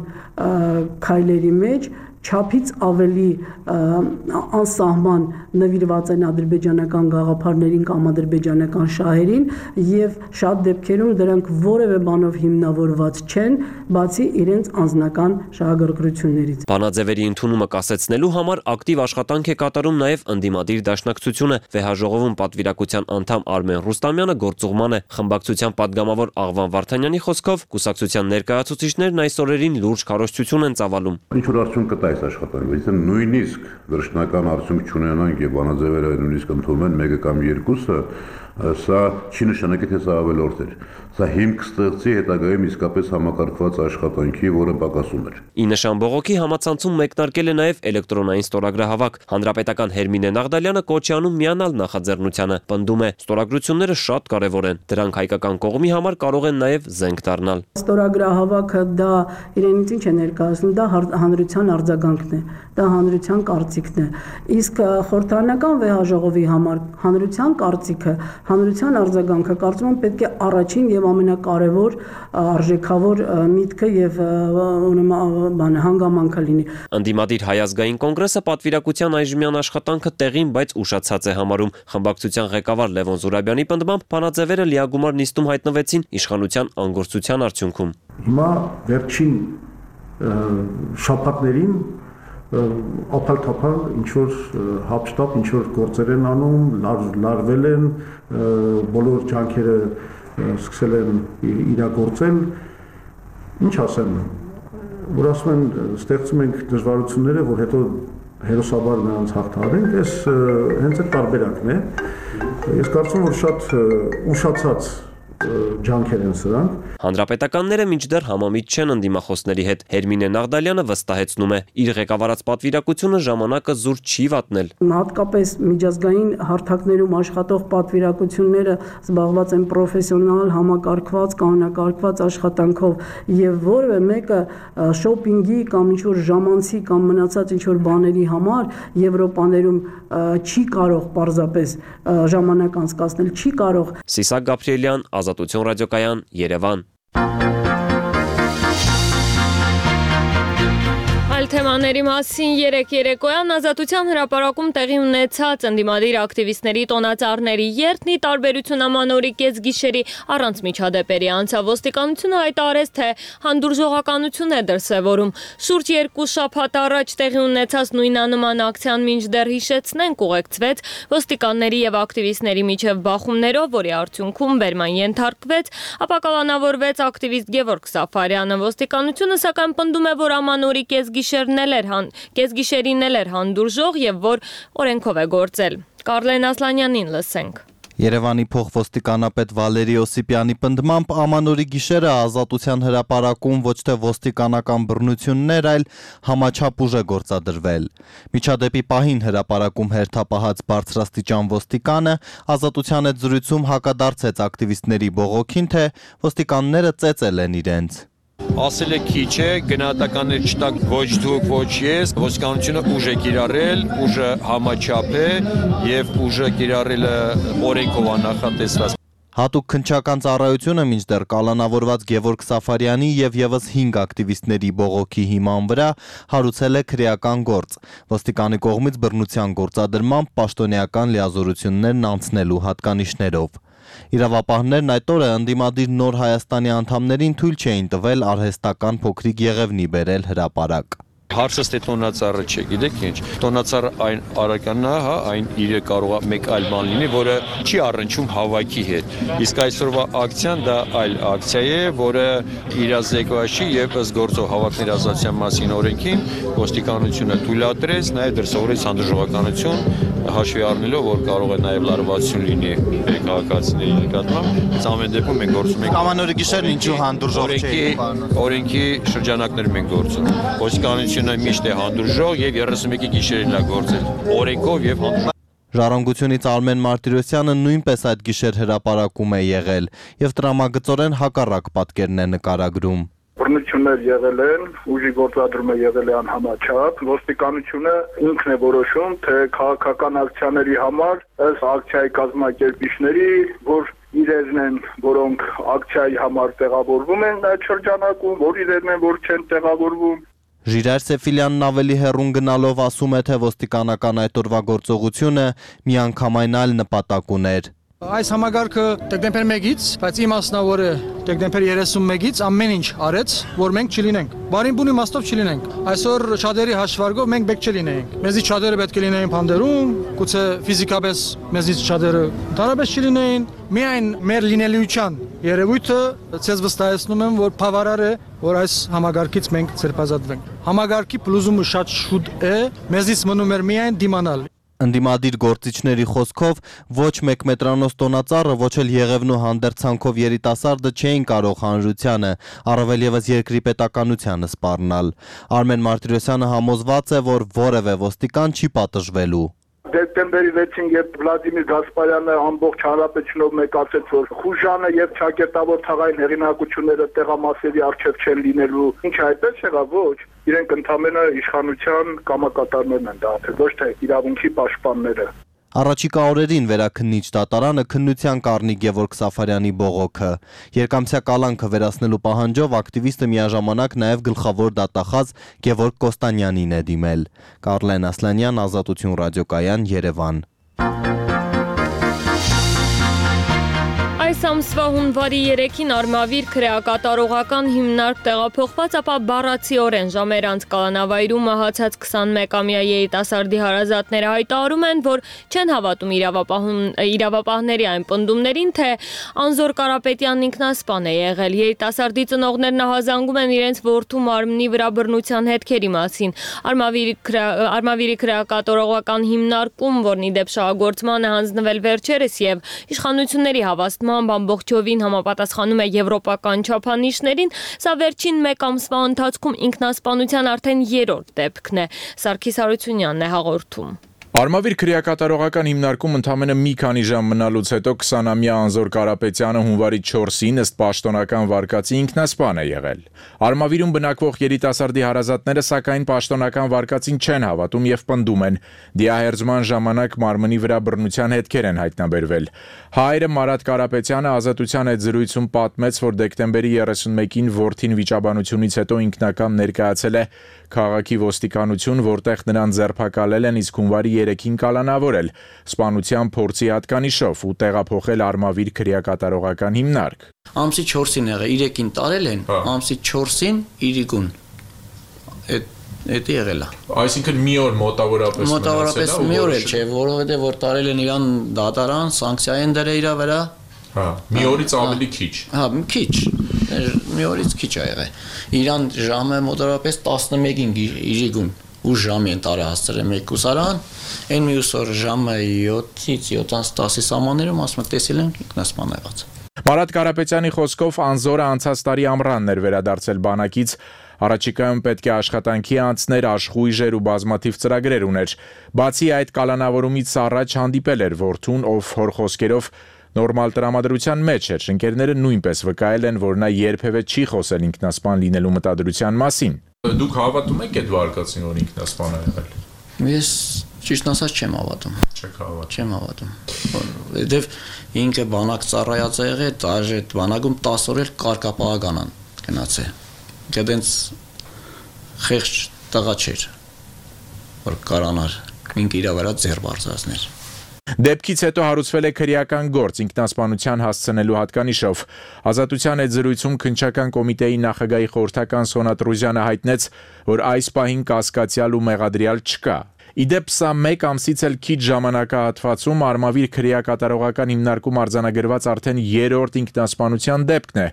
քայլերի մեջ չափից ավելի անսահման նվիրված են ադրբեջանական գաղափարներին կամ ադրբեջանական շահերին եւ շատ դեպքերում դրանք որևէ բանով հիմնավորված չեն, բացի իրենց անձնական շահագրգռություններից։ Բանաձևերի ընդունումը կասեցնելու համար ակտիվ աշխատանք է կատարում նաեւ ընդդիմադիր դաշնակցությունը։ Վեհաժողովում պատվիրակության անդամ Արմեն Ռուստամյանը գործուղման է։ Խմբակցության падգամավոր Աղվան Վարդանյանի խոսքով կուսակցության ներկայացուցիչներն այս օրերին լուրջ քարոզչություն են ծավալում։ Ինչ որ արդյունք կտա այս աշխատանքը, այսինքն նույնիսկ դրշնական արդյունք չունենանք եւ բանաձևերը նույնիսկ ընդունվեն մեկը կամ երկուսը, սա չի նշանակի, թե սա ավելորդ էր։ Սա հիմք ստեղծի հետագայում իսկապես համակարգված աշխատանքի, որը պակասում էր։ Ի նշան բողոքի համացանցում մեկնարկել է նաև էլեկտրոնային ստորագրահավաք։ Հանրապետական Հերմինե Նաղդալյանը կոչ է անում միանալ նախաձեռնությանը, պնդում է, ստորագրությունները շատ կարևոր են։ Դրանք հայկական կողմի համար կարող են նաև զենք դառնալ։ Ստորագրահավաքը դա իրենից ինչ է ներկայացնում, դա հանրության արձագանքն է, դա հանրության կարծիքն է։ Իսկ խորհրդարանական վեհաժողովի համար հանրության կարծիքը, հանրության արձագանքը կարծում եմ պետք է առաջին եւ ամենակարևոր արժեքավոր միտքը եւ բան հանգամանքը լինի։ Ընդդիմադիր Հայ ազգային կոնգրեսը պատվիրակության այժմյան աշխատանքը տեղին, բայց ուշացած է համարում։ Խմբակցության ղեկավար Լևոն Զուրաբյանի պնդմամբ բանաձևերը լիագումար նիստում հայտնվեցին իշխանության անգործության արդյունքում։ Հիմա վերջին շաբաթներին ապալ-թափալ ինչ-որ հապշտապ, ինչ-որ գործեր են անում, լարվել են, բոլոր ջանքերը սկսել են իրագործել, ինչ ասեմ, որ ասում են, ստեղծում ենք դժվարությունները, որ հետո հերոսաբար նրանց հաղթահարենք, այս հենց այդ տարբերակն է։ Ես կարծում որ շատ ուշացած ջանքեր են սրանք։ Հանրապետականները մինչդեռ համամիտ չեն ընդդիմախոսների հետ։ Հերմինե Նաղդալյանը վստահեցնում է, իր ղեկավարած պատվիրակությունը ժամանակը զուր չի վատնել։ Հատկապես միջազգային հարթակներում աշխատող պատվիրակությունները զբաղված են պրոֆեսիոնալ, համակարգված, կանոնակարգված աշխատանքով եւ որևէ մեկը շոփինգի կամ ինչ-որ ժամանցի կամ մնացած ինչ-որ բաների համար Եվրոպաներում չի կարող պարզապես ժամանակ անցկացնել, չի կարող։ Սիսակ Գաբրիելյան, Ազատություն ռադիոկայան, Երևան։ թեմաների մասին երեք երեկոյան Ազատության հրապարակում տեղի ունեցած ընդդիմադիր ակտիվիստների տոնածառների երթն ի տարբերություն ամանորի կեսգիշերի առանց միջադեպերի անցավ։ Ոստիկանությունը հայտարարեց, թե հանդուրժողականություն է դրսևորում։ Շուրջ երկու շաբաթ առաջ տեղի ունեցած նույնանման ակցիան մինչդեռ հիշեցնենք ուղեկցվեց ոստիկանների եւ ակտիվիստների միջև բախումներով, որի արդյունքում բերման ենթարկվեց, ապա կալանավորվեց ակտիվիստ Գևորգ Սաֆարյանը։ Ոստիկանությունը սակայն պնդում է, որ ամանորի կեսգիշերն էլ էր հան, կեսգիշերին էլ էր հանդուրժող եւ որ օրենքով է գործել։ Կարլեն Ասլանյանին լսենք։ Երևանի փոխոստիկանապետ Վալերի Օսիպյանի պնդմամբ ամանորի գիշերը Ազատության հրապարակում ոչ թե ոստիկանական բռնություններ, այլ համաչափ ուժ է գործադրվել։ Միջադեպի պահին հրապարակում հերթապահած բարձրաստիճան ոստիկանը Ազատության հետ զրույցում հակադարձեց ակտիվիստների բողոքին, թե ոստիկանները ծեծել են իրենց։ Ասել է քիչ է, գնահատականներ չտակ ոչ դուք, ոչ ես, ոստիկանությունը ուժ է կիրառել, ուժը համաչափ է եւ ուժը կիրառելը օրենքով աննախատեսված։ Հատուկ քննչական ծառայությունը մինչդեռ կալանավորված Գևորգ Սաֆարյանի եւ եւս հինգ ակտիվիստների բողոքի հիման վրա հարուցել է քրեական գործ, ոստիկանի կողմից բռնության գործադրմամբ պաշտոնեական լիազորություններն անցնելու հատկանիշներով։ Իրավապահներն այդ օրը ընդդիմադիր Նոր Հայաստանի անդամներին թույլ չէին տվել արհեստական փոքրիկ եղևնի բերել հրապարակ։ Հարցը ստե տոնածառը չէ, գիտեք ինչ, տոնածառը այն արականն է, հա, այն իրը կարող է մեկ այլ բան լինի, որը չի առնչում հավաքի հետ։ Իսկ այսօրվա ակցիան դա այլ ակցիա է, որը իրազեկված չի եւ ըստ գործող հավաքների ազատության մասին օրենքին ոստիկանությունը թույլատրեց, նաեւ դրսևորեց հանդուրժողականություն, հաշվի առնելով, որ կարող է նաեւ լարվածություն լինի քաղաքացիների նկատմամբ, բայց ամեն դեպքում մենք գործում ենք Ամանորի գիշերն ինչու հանդուրժող չէ։ Օրենքի շրջանակներում ենք գործում։ Ոստիկանությունը միշտ է հանդուրժող եւ երեսունմեկի գիշերին է գործել օրենքով եւ հանդուրժող։ Ժառանգությունից Արմեն Մարտիրոսյանը նույնպես այդ գիշեր հրապարակում է եղել եւ տրամագծորեն հակառակ պատկերն է նկարագրում։ Բռնություններ եղել են, ուժի գործադրումը եղել է անհամաչափ, ոստիկանությունը ինքն է որոշում, թե քաղաքական ակցիաների համար ըստ ակցիայի կազմակերպիչների, որ իրերն են, որոնք ակցիայի համար տեղավորվում են այդ շրջանակում, որ իրերն են, որ չեն տեղավորվում։ Ժիրայր Սեֆիլյանն ավելի հեռուն գնալով ասում է, թե ոստիկանական այդ օրվա գործողությունը միանգամայն այլ նպատակ ուներ։ Այս համագարկը դեկտեմբեր մեկից, բայց իմաստնավորը դեկտեմբեր երեսունմեկից ամեն ինչ արեց, որ մենք չլինենք։ Բարին բուն իմաստով չլինենք։ Այսօր չադերի հաշվարկով մենք պետք չլինենք։ Մեզից չադերը պետք է լինեին փանդերում, գուցե ֆիզիկապես մեզից չադերը ընդհանրապես չլինեին։ Միայն մեր լինելիության երևույթը ցեզ վստահեցնում եմ, որ բավարար է, որ այս համագարկից մենք ցերպազատվենք։ Համագարկի փլուզումը շատ շուտ է, մեզից մնում էր միայն դիմանալ։ Ընդդիմադիր գործիչների խոսքով ոչ մեկ մետրանոց տոնածառը, ոչ էլ եղևնու հանդերձանքով երիտասարդը չէին կարող հանրությանը, առավել ևս երկրի պետականությանը սպառնալ։ Արմեն Մարտիրոսյանը համոզված է, որ որևէ ոստիկան չի պատժվելու։ Դեկտեմբերի վեցին, երբ Վլադիմիր Գասպարյանը ամբողջ հանրապետությունով մեկ ասեց, որ խուժանը եւ ճակերտավոր թաղային հեղինակությունները տեղամասերի արժեվ չեն լինելու, ինչ այդպես եղավ, ոչ։ Իրենք ընդամենը իշխանության կամակատարներն են դարձել, ոչ թե իրավունքի պաշտպանները։ Առաջիկա օրերին վերաքննիչ դատարանը քննության կառնի Գևորգ Սաֆարյանի բողոքը։ Երկամսյա կալանքը վերացնելու պահանջով ակտիվիստը միաժամանակ նաև գլխավոր դատախազ Գևորգ Կոստանյանին է դիմել։ Կարլեն Ասլանյան, Ազատություն ռադիոկայան, Երևան։ Այս ամսվա հունվարի երեքին Արմավիր քրեակատարողական հիմնարկ տեղափոխված, ապա բառացիորեն ժամեր անց կալանավայրում մահացած քսանմեկամյա երիտասարդի հարազատները հայտարարում են, որ չեն հավատում իրավապահների այն պնդումներին, թե Անզոր Կարապետյանն ինքնասպան է եղել։ Երիտասարդի ծնողներն ահազանգում են իրենց որդու մարմնի վրա բռնության հետքերի մասին։ Արմավիրի քրեակատարողական հիմնարկում, որն ի դեպ շահագործման է հանձնվել վերջերս եւ իշխանությունների հավաստման ամբողջովին համապատասխանում է եվրոպական չափանիշներին, սա վերջին մեկ ամսվա ընթացքում ինքնասպանության արդեն երրորդ դեպքն է։ Սարգիս Հարությունյանն է հաղորդում։ Արմավիր քրեակատարողական հիմնարկում ընդամենը մի քանի ժամ մնալուց հետո քսանամյա Անզոր Կարապետյանը հունվարի չորսին ըստ պաշտոնական վարկածի ինքնասպան է եղել։ Արմավիրում բնակվող երիտասարդի հարազատները սակայն պաշտոնական վարկածին չեն հավատում եւ պնդում են, դիահերձման ժամանակ մարմնի վրա բռնության հետքեր են հայտնաբերվել։ Հայրը Մարատ Կարապետյանը Ազատության հետ զրույցում պատմեց, որ դեկտեմբերի երեսունմեկին որդին վիճաբանությունից հետո ինքնական ներկայացել է քաղաքի ոստիկանություն, որտեղ նրան ձերբակալել են, իսկ հունվարի երեքին կալանավորել սպանության փորձի հատկանիշով ու տեղափոխել Արմավիր քրեակատարողական հիմնարկ։ Ամսի չորսին եղել, երեքին տարել են, ամսի չորսին իրիկուն։ Այդ Էդի եղել է։ Այսինքն մի օր մոտավորապես մոտավորապես մի օր էլ չէ, որովհետև որ տարել են իրան դատարան, սանկցիա են դրել իր վրա։ Հա, մի օրից ավելի քիչ։ Հա, քիչ։ Մի օրից քիչ ա եղել։ Իրան ժամը մոտավորապես տասնմեկին իրիկուն ու ժամի են տարը հասցրել մեկուսարան, այն մյուս օր ժամը յոթից յոթանասի սամաններում ասում են տեսել են ինքնասպան եղած։ Մարատ Կարապետյանի խոսքով անզորը անցած տարի ամռանն էր վերադարձել բանակից, առաջիկայում պետք է աշխատանքի անցներ, աշխույժեր ու բազմաթիվ ծրագրեր ուներ։ Բացի այդ կալանավորումից առաջ հանդիպել էր որդուն, ով հոր խոսքերով նորմալ տրամադրության մեջ էր։ Ընկերները նույնպես վկայել են, որ նա երբևէ չի խոսել ինքնասպան լինելու մտադրության մասին։ Դուք հավատում եք այդ վարկածին, որ ինքնասպան է եղել։ Ես ճիշտ ասած չեմ հավատում։ Չեք հավատում։ Չեմ հավատում։ Որովհետև ինքը բանակ ծառայած է եղել, դաժե բանակում տասը օր էլ կարգապահականան գնացել։ Գտենց խեղճ տղա չէր, որ կարանար ինք իր վրա ձեռ բարձրացներ։ Դեպքից հետո հարուցվել է քրեական գործ ինքնասպանության հասցնելու հատկանիշով։ Ազատության այդ զրույցում քննչական կոմիտեի նախագահի խորհրդական Սոնա Տրուզյանը հայտնեց, որ այս պահին կասկածյալ ու մեղադրյալ չկա։ Իդեպ սա մեկ ամսից էլ քիչ ժամանակահատվածում Արմավիր քրեակատարողական հիմնարկում արձանագրված արդեն երրորդ ինքնասպանության դեպքն է,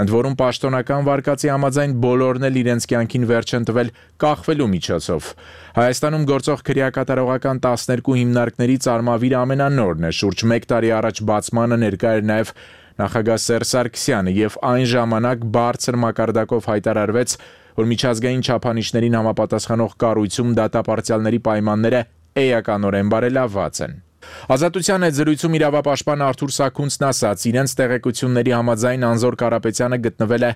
ընդ որում պաշտոնական վարկածի համաձայն բոլորն էլ իրենց կյանքին վերջ են տվել կախվելու միջոցով։ Հայաստանում գործող քրեակատարողական տասներկու հիմնարկներից Արմավիրը ամենանորն է, շուրջ մեկ տարի առաջ բացմանը ներկա էր նաև նախագահ Սերժ Սարգսյանը եւ այն ժամանակ բարձր մակարդակով հայտարարվեց, որ միջազգային չափանիշներին համապատասխանող կառույցում դատապարտյալների պայմանները էականորեն բարելավված են։ Ազատության այդ զրույցում իրավապաշտպան Արթուր Սաքունցն ասաց, իրենց տեղեկությունների համաձայն Անզոր Կարապետյանը գտնվել է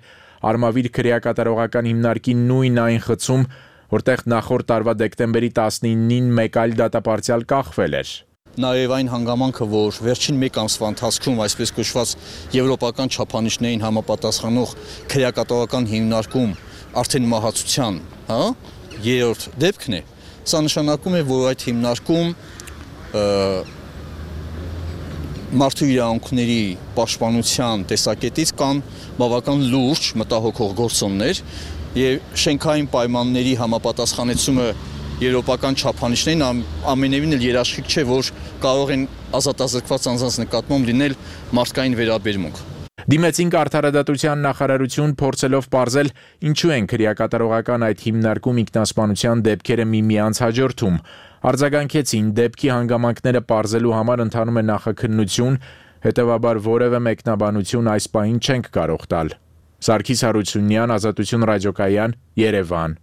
Արմավիր քրեակատարողական հիմնարկի նույն այն խցում, որտեղ նախորդ տարվա դեկտեմբերի տասնինին մեկ այլ դատապարտյալ կախվել էր։ Նաև այն հանգամանքը, որ վերջին մեկ ամսվա ընթացքում այսպես կոչված եվրոպական չափանիշներին համապատասխանող քրեակատարողական հիմնարկում արդեն մահացության, հա, երրորդ դեպքն է, սա նշանակում է, որ այդ հիմնարկում մարդու իրավունքների պաշտպանության տեսակետից կան բավական լուրջ մտահոգող գործոններ եւ շենքային պայմանների համապատասխանեցումը եվրոպական չափանիշներին ամենևին էլ երաշխիք չէ, որ կարող են ազատազրկված անձանց նկատմամբ լինել մարդկային վերաբերմունք։ Դիմեցինք արդարադատության նախարարություն փորձելով պարզել ինչու են քրեակատարողական այդ հիմնարկում ինքնասպանության դեպքերը միմյանց հաջորդում։ Արձագանքեցին դեպքի հանգամանքները պարզելու համար ընթանում է նախաքննություն, հետևաբար որևէ մեկնաբանություն այս պահին չենք կարող տալ։ Սարգիս Հարությունյան, Ազատություն ռադիոկայան, Երևան։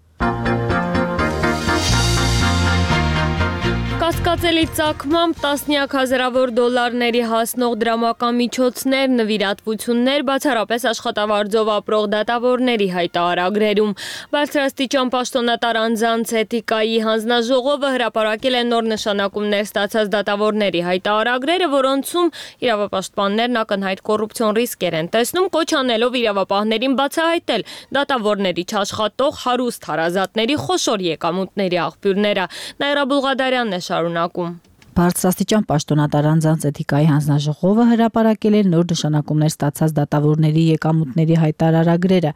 Կասկածելի ծագմամբ տասնյակ հազարավոր դոլարների հասնող դրամական միջոցներ, նվիրատվություններ բացառապես աշխատավարձով ապրող դատավորների հայտարարագրերում։ Բարձրաստիճան պաշտոնատար անձանց էթիկայի հանձնաժողովը հրապարակել է նոր նշանակումներ ստացած դատավորների հայտարարագրերը, որոնցում իրավապաշտպաններն ակնհայտ կոռուպցիոն ռիսկեր են տեսնում, կոչ անելով իրավապահներին բացահայտել դատավորների չաշխատող հարուստ հարազատների խոշոր եկամուտների աղբյուրները։ Նաիրա Բուլղադարյանն է շարունակում։ Բարձրաստիճան պաշտոնատար անձանց էթիկայի հանձնաժողովը հրապարակել է նոր նշանակումներ ստացած դատավորների եկամուտների հայտարարագրերը։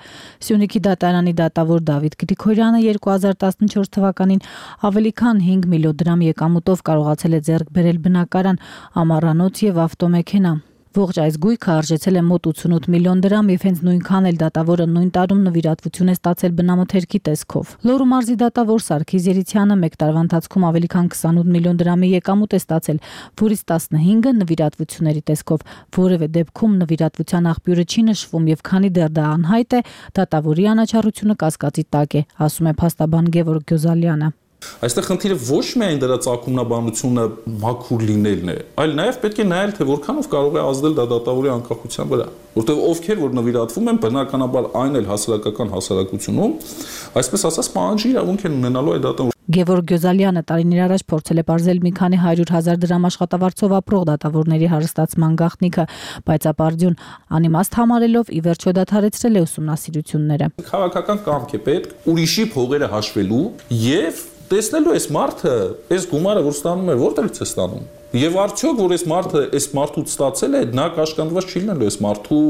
Սյունիքի դատարանի դատավոր Դավիթ Գրիգորյանը երկու հազար տասնչորս թվականին ավելի քան հինգ միլիոն դրամ եկամուտով կարողացել է ձեռք բերել բնակարան, ամառանոց եւ ավտոմեքենա։ Ողջ այս գույքը արժեցել է մոտ ութսունութ միլիոն դրամ եւ հենց նույնքան էլ դատավորը նույն տարում նվիրատվություն է ստացել բնամթերքի տեսքով։ Լոռու մարզի դատավոր Սարգիս Երիցյանը մեկ տարվա ընթացքում ավելի քան քսանութ միլիոն դրամի եկամուտ է ստացել, որից տասնհինգը նվիրատվությունների տեսքով։ Որևէ դեպքում նվիրատվության աղբյուրը չի նշվում եւ քանի դեռ դա անհայտ է, դատավորի անաչառությունը կասկածի տակ է, ասում է փաստաբան Գևորգ Գյոզալյանը։ Այստեղ խնդիրը ոչ միայն դրա ծագումնաբանությունը մաքուր լինելն է, այլ նաև պետք է նայել, թե որքանով կարող է ազդել դա դատավորի անկախության վրա, որտեղ ովքեր որ նվիրատվում են, բնականաբար այն էլ հասարակական հասարակությունում, այսպես ասած, պահանջի իրավունք են ունենալու այդ դատավորը։ Գևորգ Գյոզալյանը տարիներ առաջ փորձել է բարձել մի քանի հարյուր հազար դրամ աշխատավարձով ապրող դատավորների հարստացման գաղտնիքը, բայց ապարդյուն անիմաստ համարելով ի վերջո դադարեցրել է ուսումնասիրությունները։ Քաղաքական կամք է պետք ուրիշի փողերը հաշվելու եւ տեսնելու այս մարդը, այս գումարը որ ստանում է, որտեղից է ստանում։ Եվ արդյոք որ այս մարդը այս մարդուց ստացել է, նա կաշկանդված չի լինելու այս մարդու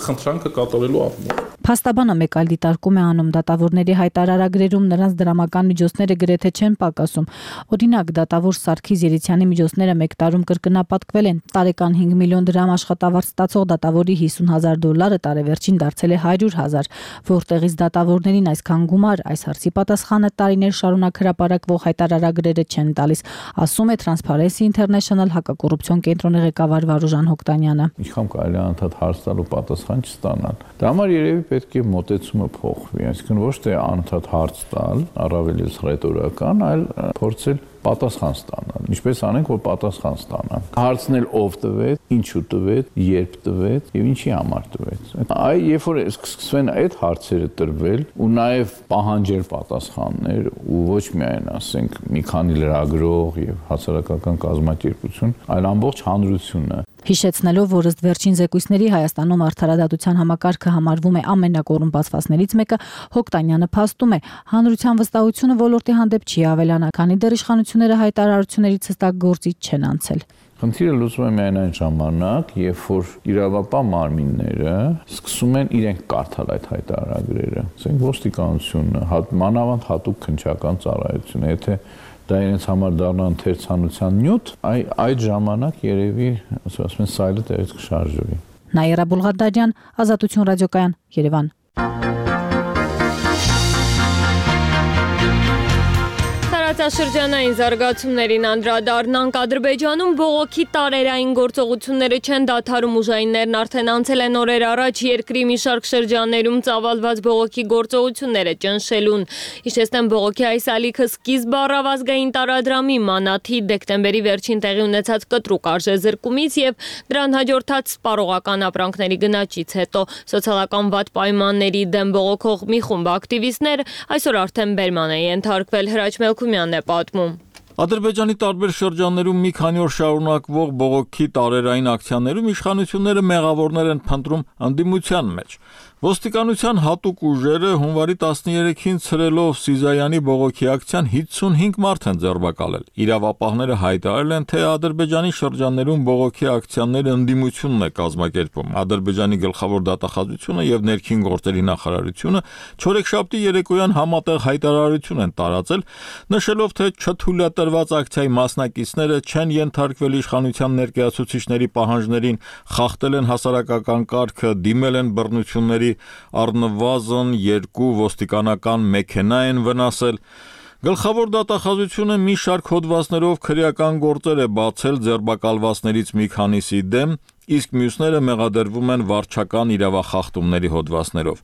խնդրանքը կատարելու առումով։ Փաստաբանը մեկ այլ դիտարկում է անում դատավորների հայտարարագրերում նրանց դրամական միջոցները գրեթե չեն պակասում։ Օրինակ, դատավոր Սարգիս Երիցյանի միջոցները մեկ տարում կրկնապատկվել են։ Տարեկան հինգ միլիոն դրամ աշխատավարձ ստացող դատավորի հիսուն հազար դոլարը տարեվերջին դարձել է հարյուր հազար, որտեղից դատավորներին այսքան գումար, այս հարցի պատասխանը տարիներ շարունակ հրապարակվող հայտարարագրերը չեն տալիս, ասում է Transparency International հակակոռուպցիոն կենտրոնի ղեկավար Վարուժան Հոկտանյանը։ Ինչքան կարելի է անդադ հարց տալ ու պատասխան չստանալ։ Դա համար երևի պետք է մոտեցումը փոխվի, այսինքն ոչ թե անդադ հարց տալ, առավել ես ռետորական, այլ փորձել պատասխան ստանալ։ Ինչպես անենք, որ պատասխան ստանան։ Հարցնել ով տվեց, ինչու տվեց, երբ տվեց եւ ինչի համար տվեց։ Այ երբ որ սկսվեն այդ հարցերը տրվել ու նաեւ պահանջել պատասխաններ ու ոչ միայն ասենք մի քանի լրագրող եւ հասարակական կազմակերպություն, այլ ամբողջ հանրությունը։ Հիշեցնելով, որ ըստ վերջին զեկույցների Հայաստանում արդարադատության համակարգը համարվում է ամենակոռումպացվածներից մեկը, Հոկտանյանը փաստում է, հանրության վստահությունը ոլորտի հանդեպ չի ավելանա, քանի դեռ իշխանությունները հայտարարություններից հստակ գործի չեն անցել։ Խնդիրը լուծվում է միայն այն ժամանակ, երբ որ իրավապահ մարմինները սկսում են իրենք կարդալ այդ հայտարարագրերը։ Ասենք ոստիկանությունը, մանավանդ հատուկ քննչական ծառայությունը, եթե դա իրենց համար դառնա ընթերցանության նյութ, այ այդ ժամանակ երևի, ասում են, սայլը տեղից կշարժվի։ Նաիրա Բուլղադարյան, Ազատություն ռադիոկայան, Երևան։ Տարածաշրջանային զարգացումներին անդրադառնանք։ Ադրբեջանում բողոքի տարերային գործողությունները չեն դադարում, ուժայիններն արդեն անցել են օրեր առաջ երկրի մի շարք շրջաններում ծավալված բողոքի գործողությունները ճնշելուն։ Հիշեցնեմ, բողոքի այս ալիքը սկիզբ առավ ազգային տարադրամի մանաթի դեկտեմբերի վերջին տեղի ունեցած կտրուկ արժեզրկումից եւ դրան հաջորդած սպառողական ապրանքների գնաճից հետո։ Սոցիալական վատ պայմանների դեմ բողոքող մի խումբ ակտիվիստներ այսօր արդեն բերման է ենթարկվել։ Հրաչ Մելքումյանն է պատմում։ Ադրբեջանի տարբեր շրջաններում մի քանի օր շարունակվող բողոքի տարերային ակցիաներում իշխանությունները մեղավորներ են փնտրում ընդդիմության մեջ։ Ոստիկանության հատուկ ուժերը հունվարի տասներեքին ցրելով Սիզայանի բողոքի ակցիան հիսունհինգ մարդ են ձերբակալել։ Իրավապահները հայտարարել են, թե Ադրբեջանի շրջաններում բողոքի ակցիաները ընդդիմությունն է կազմակերպում։ Ադրբեջանի գլխավոր դատախազությունը եւ ներքին գործերի նախարարությունը չորեքշաբթի երեկոյան համատեղ հայտարարություն են տարածել, նշելով, թե չթույլատրված ակցիայի մասնակիցները չեն ենթարկվել իշխանության ներկայացուցիչների պահանջներին, խախտել են հասարակական կարգը, դիմել են բռնությունների, առնվազն երկու ոստիկանական մեքենա են վնասել։ Գլխավոր դատախազությունը մի շարք հոդվածներով քրեական գործեր է բացել ձերբակալվածներից մի քանիսի դեմ, իսկ մյուսները մեղադրվում են վարչական իրավախախտումների հոդվածներով։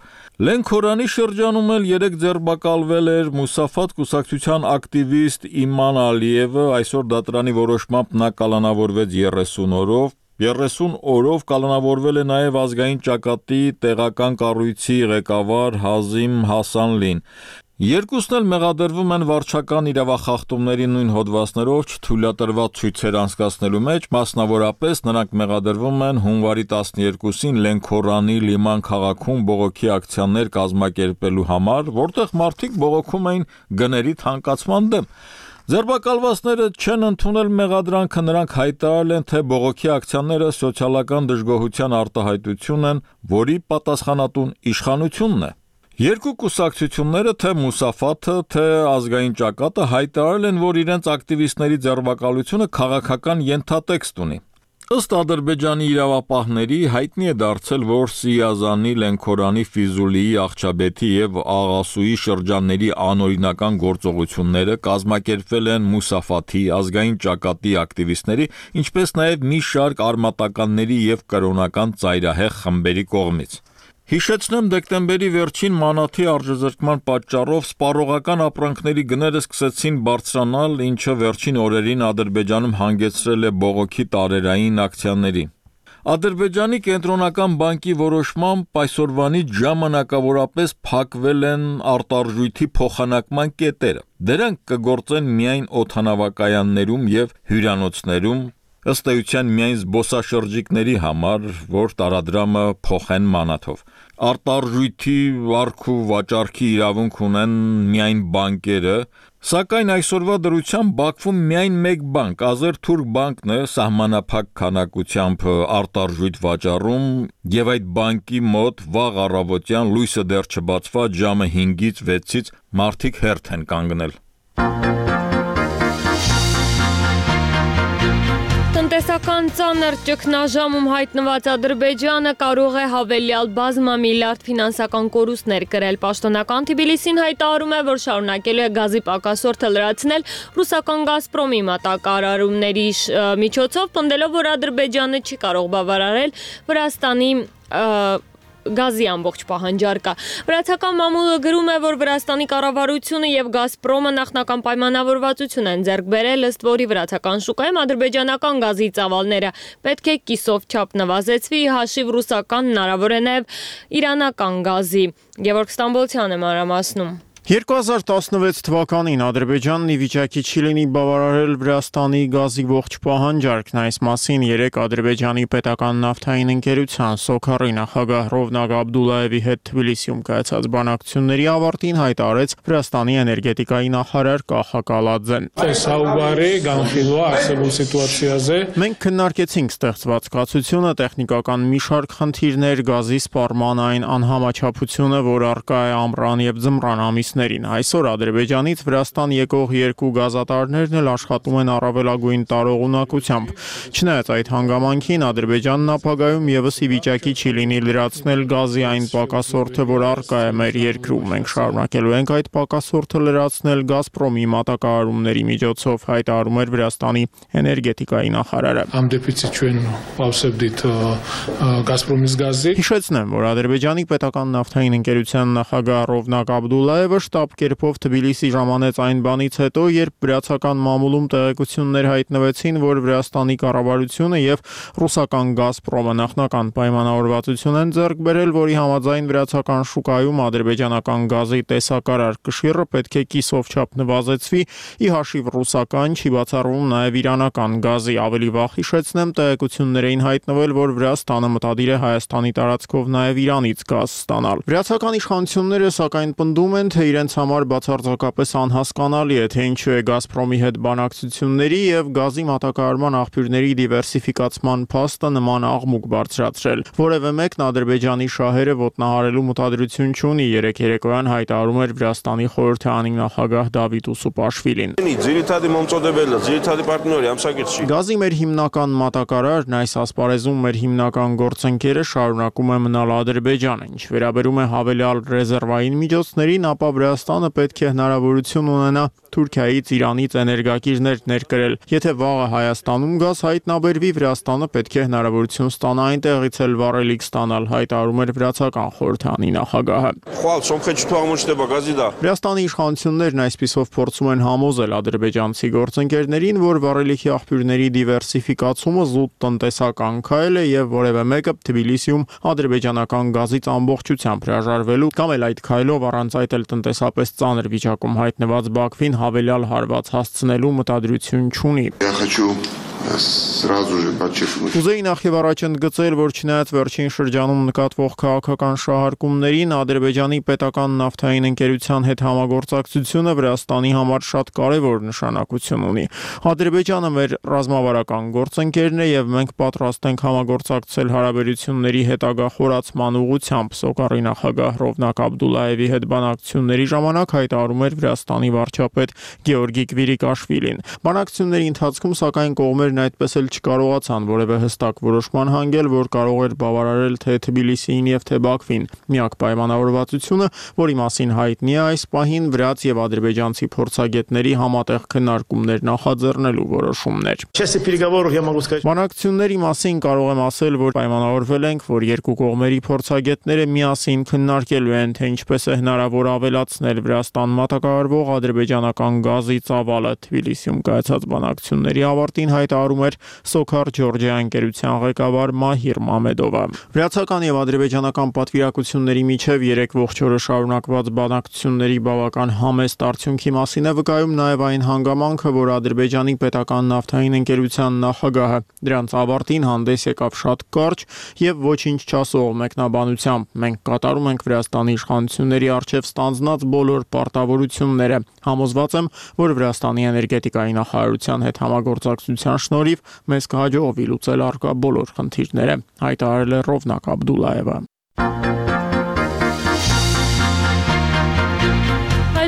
Լենքորանի շրջանում էլ երեք ձերբակալվել էր Մուսաֆատ կուսակցության ակտիվիստ Իման Ալիևը, այսօր դատարանի որոշմամբ նա կալանավորվեց երեսուն օրով։ երեսուն օրով կալանավորվել է նաև ազգային ճակատի տեղական կառույցի ղեկավար Հազիմ Հասանլին։ Երկուսն էլ մեղադրվում են վարչական իրավախախտումների նույն հոդվածներով չթույլատրված ցույցեր անցկացնելու մեջ, մասնավորապես նրանք մեղադրվում են հունվարի տասներկուսին Լենքորանի Լիման քաղաքում բողոքի ակցիաներ կազմակերպելու համար, որտեղ մարդիկ բողոքում էին գների թանկացման դեմ։ Ձերբակալվածները չեն ընդունել մեղադրանքը, նրանք հայտարարել են, թե բողոքի ակցիաները սոցիալական դժգոհության արտահայտություն են, որի պատասխանատուն իշխանությունն է։ Երկու կուսակցությունները, թե Մուսաֆաթը, թե ազգային ճակատը հայտարարել են, որ իրենց ակտիվիստների ձերբակալությունը քաղաքական ենթատեքստ ունի։ Ըստ Ադրբեջանի իրավապահների հայտնի է դարձել, որ Սիազանի, Լենքորանի, Ֆիզուլիի, Աղջաբեթի եւ Աղասուի շրջանների անօրինական գործողությունները կազմակերպվել են Մուսաֆաթի, ազգային ճակատի ակտիվիստների, ինչպես նաեւ մի շարք արմատականների եւ կրոնական ծայրահեղ խմբերի կողմից։ Հիշեցնեմ, դեկտեմբերի վերջին մանաթի արժեզրկման պատճառով սպառողական ապրանքների գները սկսեցին բարձրանալ, ինչը վերջին օրերին Ադրբեջանում հանգեցրել է բողոքի տարերային ակցիաների։ Ադրբեջանի կենտրոնական բանկի որոշմամբ այսօրվանից ժամանակավորապես փակվել են արտարժույթի փոխանակման կետերը։ Դրանք կգործեն միայն օդանավակայաններում եւ հյուրանոցներում, ըստ էության միայն զբոսաշրջիկների համար, որ տարադրամը փոխեն մանաթով։ Արտարժույթի վարք ու վաճառքի իրավունք ունեն միայն բանկերը, սակայն այսօրվա դրությամբ Բաքվում միայն մեկ բանկ, Ազերթուրք բանկն է սահմանափակ քանակությամբ արտարժույթ վաճառում, եւ այդ բանկի մոտ վաղ առավոտյան լույսը դեռ չբացված ժամը հինգից վեցից մարդիկ հերթ են կանգնել։ Տնտեսական ծանր ճգնաժամում հայտնված Ադրբեջանը կարող է հավելյալ բազմամիլիարդ ֆինանսական կորուստներ կրել։ Պաշտոնական Թբիլիսին հայտարարում է, որ շարունակելու է գազի պակասորդը լրացնել ռուսական Գազպրոմի մատակարարումների միջոցով, պնդելով, որ Ադրբեջանը չի կարող բավարարել Վրաստանի գազի ամբողջ պահանջարկը։ Վրացական մամուլը գրում է, որ Վրաստանի կառավարությունը եւ Գազպրոմը նախնական պայմանավորվածություն են ձեռք բերել, ըստ որի վրացական շուկայում ադրբեջանական գազի ծավալները պետք է կիսով չափ նվազեցվի, հաշիվ ռուսական, հնարավոր է նաեւ իրանական գազի։ Գևորգ Ստամբոլցյանը մանրամասնում։ երկու հազար տասնվեց թվականին Ադրբեջանն ի վիճակի չի լինի բավարարել Վրաստանի գազի ողջ պահանջարկն, այս մասին երեկ Ադրբեջանի պետական նավթային ընկերության Սոքարի նախագահ Ռովնակ Աբդուլլաևի հետ Թբիլիսիում կայացած բանակցությունների ավարտին հայտարարեց Վրաստանի էներգետիկայի նախարար Կախա Կալաձեն։ Մենք քննարկեցինք ստեղծված կացությունը, տեխնիկական մի շարք խնդիրներ, գազի սպառման այն անհամաչափությունը, որ առկա է ամռան եւ ձմռան ամիսներին։ Այսօր Ադրբեջանից Վրաստան եկող երկու գազատարներն էլ աշխատում են առավելագույն տարողունակությամբ։ Չնայած այդ հանգամանքին Ադրբեջանն ապագայում եւս ի վիճակի չի լինի լրացնել գազի այն պակասորդը, որ առկա է մեր երկրում։ Մենք շարունակելու ենք այդ պակասորդը լրացնել Գազպրոմի մատակարարումների միջոցով, հայտարարում էր Վրաստանի էներգետիկայի նախարարը։ Հիշեցնեմ, որ Ադրբեջանի պետական նավթային ընկերության նախագահ Ռովնակ Աբդուլլաևը շտապ կերպով Թբիլիսի ժամանեց այն բանից հետո, երբ վրացական մամուլում տեղեկություններ հայտնվեցին, որ Վրաստանի կառավարությունը եւ ռուսական Գազպրոմը նախնական պայմանավորվածություն են ձեռք բերել, որի համաձայն վրացական շուկայում ադրբեջանական գազի տեսակարար կշիռը պետք է կիսով չափ նվազեցվի, ի հաշիվ ռուսական, չի բացառվում նաեւ իրանական գազի։ Ավելի վաղ հիշեցնեմ, տեղեկություններ էին հայտնվել, որ Վրաստանը մտադիր է Հայաստանի տարածքով նաեւ Իրանից գազ ստանալ։ Վրացական իշխանությունները սակայն պնդում են, թե իրենց համար բացարձակապես անհասկանալի է, թե ինչու է Գազպրոմի հետ բանակցությունների եւ գազի մատակարարման աղբյուրների դիվերսիֆիկացման փաստը նման աղմուկ բարձրացրել։ Որևէ մեկն Ադրբեջանի շահերը ոտնահարելու մտադրություն չունի, երեք երեկոյան հայտարարում էր Վրաստանի խորհրդարանի նախագահ Դավիթ Ուսուպաշվիլին։ Գազի մեր հիմնական մատակարարն այս ասպարեզում մեր հիմնական գործընկերը շարունակում է մնալ Ադրբեջանը, ինչ վերաբերում է հավելյալ ռեզերվային միջոցներին, ապա Վրաստանը պետք է հնարավորություն ունենա Թուրքիայից, Իրանից էներգակիրներ ներկրել։ Եթե վաղը Հայաստանում գազ հայտնաբերվի, Վրաստանը պետք է հնարավորություն ստանա այնտեղից էլ վառելիք ստանալ, հայտարարում էր վրացական խորհրդարանի նախագահը։ Վրաստանի իշխանություններն այսպիսով փորձում են համոզել ադրբեջանցի գործընկերներին, որ վառելիքի աղբյուրների դիվերսիֆիկացումը զուտ տնտեսական քայլ է եւ որևէ մեկը Թբիլիսիում ադրբեջանական գազից ամբողջությամբ հրաժարվելու կամ էլ այդ քայլով առանց այդ էլ տնտեսապես ծանր վիճակում հայտնված Բաքվին հավելյալ հարված հասցնելու մտադրություն չունի։ Կուզեի նախ եւ առաջ ընդգծել, որ չնայած վերջին շրջանում նկատվող քաղաքական շահարկումներին, Ադրբեջանի պետական նավթային ընկերության հետ համագործակցությունը Վրաստանի համար շատ կարևոր նշանակություն ունի։ Ադրբեջանը մեր ռազմավարական գործընկերն է եւ մենք պատրաստ ենք համագործակցել հարաբերությունների հետագա խորացման ուղղությամբ, Սոկարի նախագահ Ռովնակ Աբդուլլաևի հետ բանակցությունների ժամանակ հայտարարում էր Վրաստանի վարչապետ Գեորգի Կվիրիկաշվիլին։ Բանակցությունների ընթացքում սակայն կողմերն այդպես էլ չկարողացան որևէ հստակ որոշման հանգել, որ կարող էր բավարարել թե Թբիլիսիին եւ թե Բաքվին։ Միակ պայմանավորվածությունը, որի մասին հայտնի է այս պահին, վրաց եւ ադրբեջանցի փորձագետների համատեղ քննարկումներ նախաձեռնելու որոշումն էր։ Բանակցությունների մասին կարող եմ ասել, որ պայմանավորվել ենք, որ երկու կողմերի փորձագետները միասին քննարկելու են, թե ինչպես է հնարավոր ավելացնել Վրաստան մատակարարվող ադրբեջանական գազի ծավալը։ Թբիլիսիում կայացած բանակցությունների ավարտին հայտարարում հայտարարում էր Սոքար Ջորջիա ընկերության ղեկավար Մահիր Մամեդովը։ Վրացական եւ ադրբեջանական պատվիրակությունների միջև երեք ողջ օրը շարունակված բանակցությունների բավական համեստ արդյունքի մասին է վկայում նաեւ այն հանգամանքը, որ Ադրբեջանի պետական նավթային ընկերության նախագահը դրանց ավարտին հանդես եկավ շատ կարճ եւ ոչինչ չասող մեկնաբանությամբ։ Մենք կատարում ենք Վրաստանի իշխանությունների առջև ստանձնած բոլոր պարտավորությունները։ Համոզված եմ, որ Վրաստանի էներգետիկայի նախարարության հետ համագործակցության շնորհիվ մեզ կհաջողվի լուծել առկա բոլոր խնդիրները, հայտարարել է Ռովնակ Աբդուլլայևը։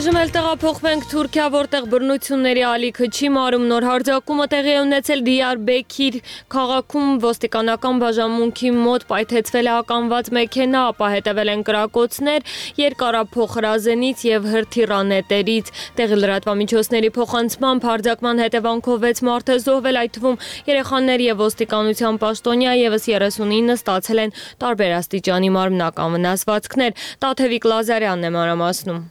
Այժմ էլ տեղափոխվենք Թուրքիա, որտեղ բռնությունների ալիքը չի մարում։ Նոր հարձակումը տեղի է ունեցել Դիարբեքիր քաղաքում, ոստիկանական բաժանմունքի մոտ պայթեցվել է ականված մեքենա, ապա հետևել են կրակոցներ երկարափոխ հրազենից եւ հրթիռանետերից։ Տեղի լրատվամիջոցների փոխանցմամբ հարձակման հետևանքով վեց մարդ է զոհվել, այդ թվում երեխաներ եւ ոստիկանության պաշտոնյա, եւս երեսունինը ստացել են տարբեր աստիճանի մարմնական վնասվածքներ։ Տաթևիկ Լազարյանն է մանրամասնում։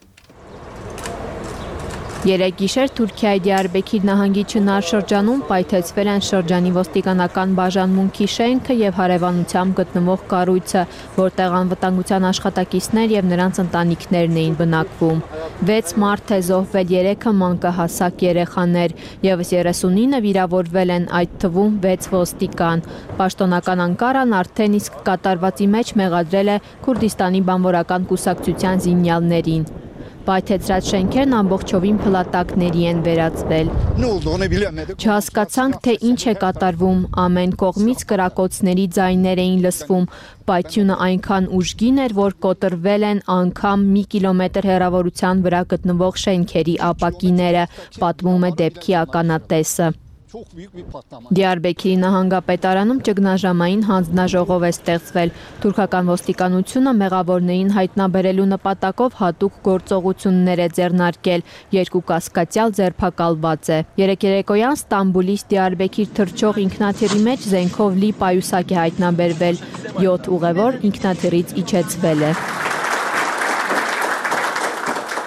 Երեկ գիշեր Թուրքիայի Դիարբեքիր նահանգի Չնար շրջանում պայթեցվել են շրջանի ոստիկանական բաժանմունքի շենքը եւ հարևանությամբ գտնվող կառույցը, որտեղ անվտանգության աշխատակիցներ եւ նրանց ընտանիքներն էին բնակվում։ վեց մարդ է զոհվել, երեքը մանկահասակ երեխաներ, եւս երեսունինը վիրավորվել են, այդ թվում վեց ոստիկան։ Պաշտոնական Անկարան արդեն իսկ կատարվածի մեջ մեղադրել է Քուրդիստանի բանվորական կուսակցության զինյալներին։ Պայթեցրած շենքերն ամբողջովին փլատակների են վերածվել։ Չհասկացանք, թե ինչ է կատարվում, ամեն կողմից կրակոցների ձայներ էին լսվում, պայթյունը այնքան ուժգին էր, որ կոտրվել են անգամ մի կիլոմետր հեռավորության վրա գտնվող շենքերի ապակիները, պատմում է դեպքի ականատեսը։ Դիարբեքիրի նահանգապետարանում ճգնաժամային հանձնաժողով է ստեղծվել։ Թուրքական ոստիկանությունը մեղավորներին հայտնաբերելու նպատակով հատուկ գործողություններ է ձեռնարկել, երկու կասկածյալ ձերբակալված է։ Երեկ երեկոյան Ստամբուլից Դիարբեքիր թռչող ինքնաթիռի մեջ զենքով լի պայուսակ է հայտնաբերվել, յոթ ուղևոր ինքնաթիռից իջեցվել է։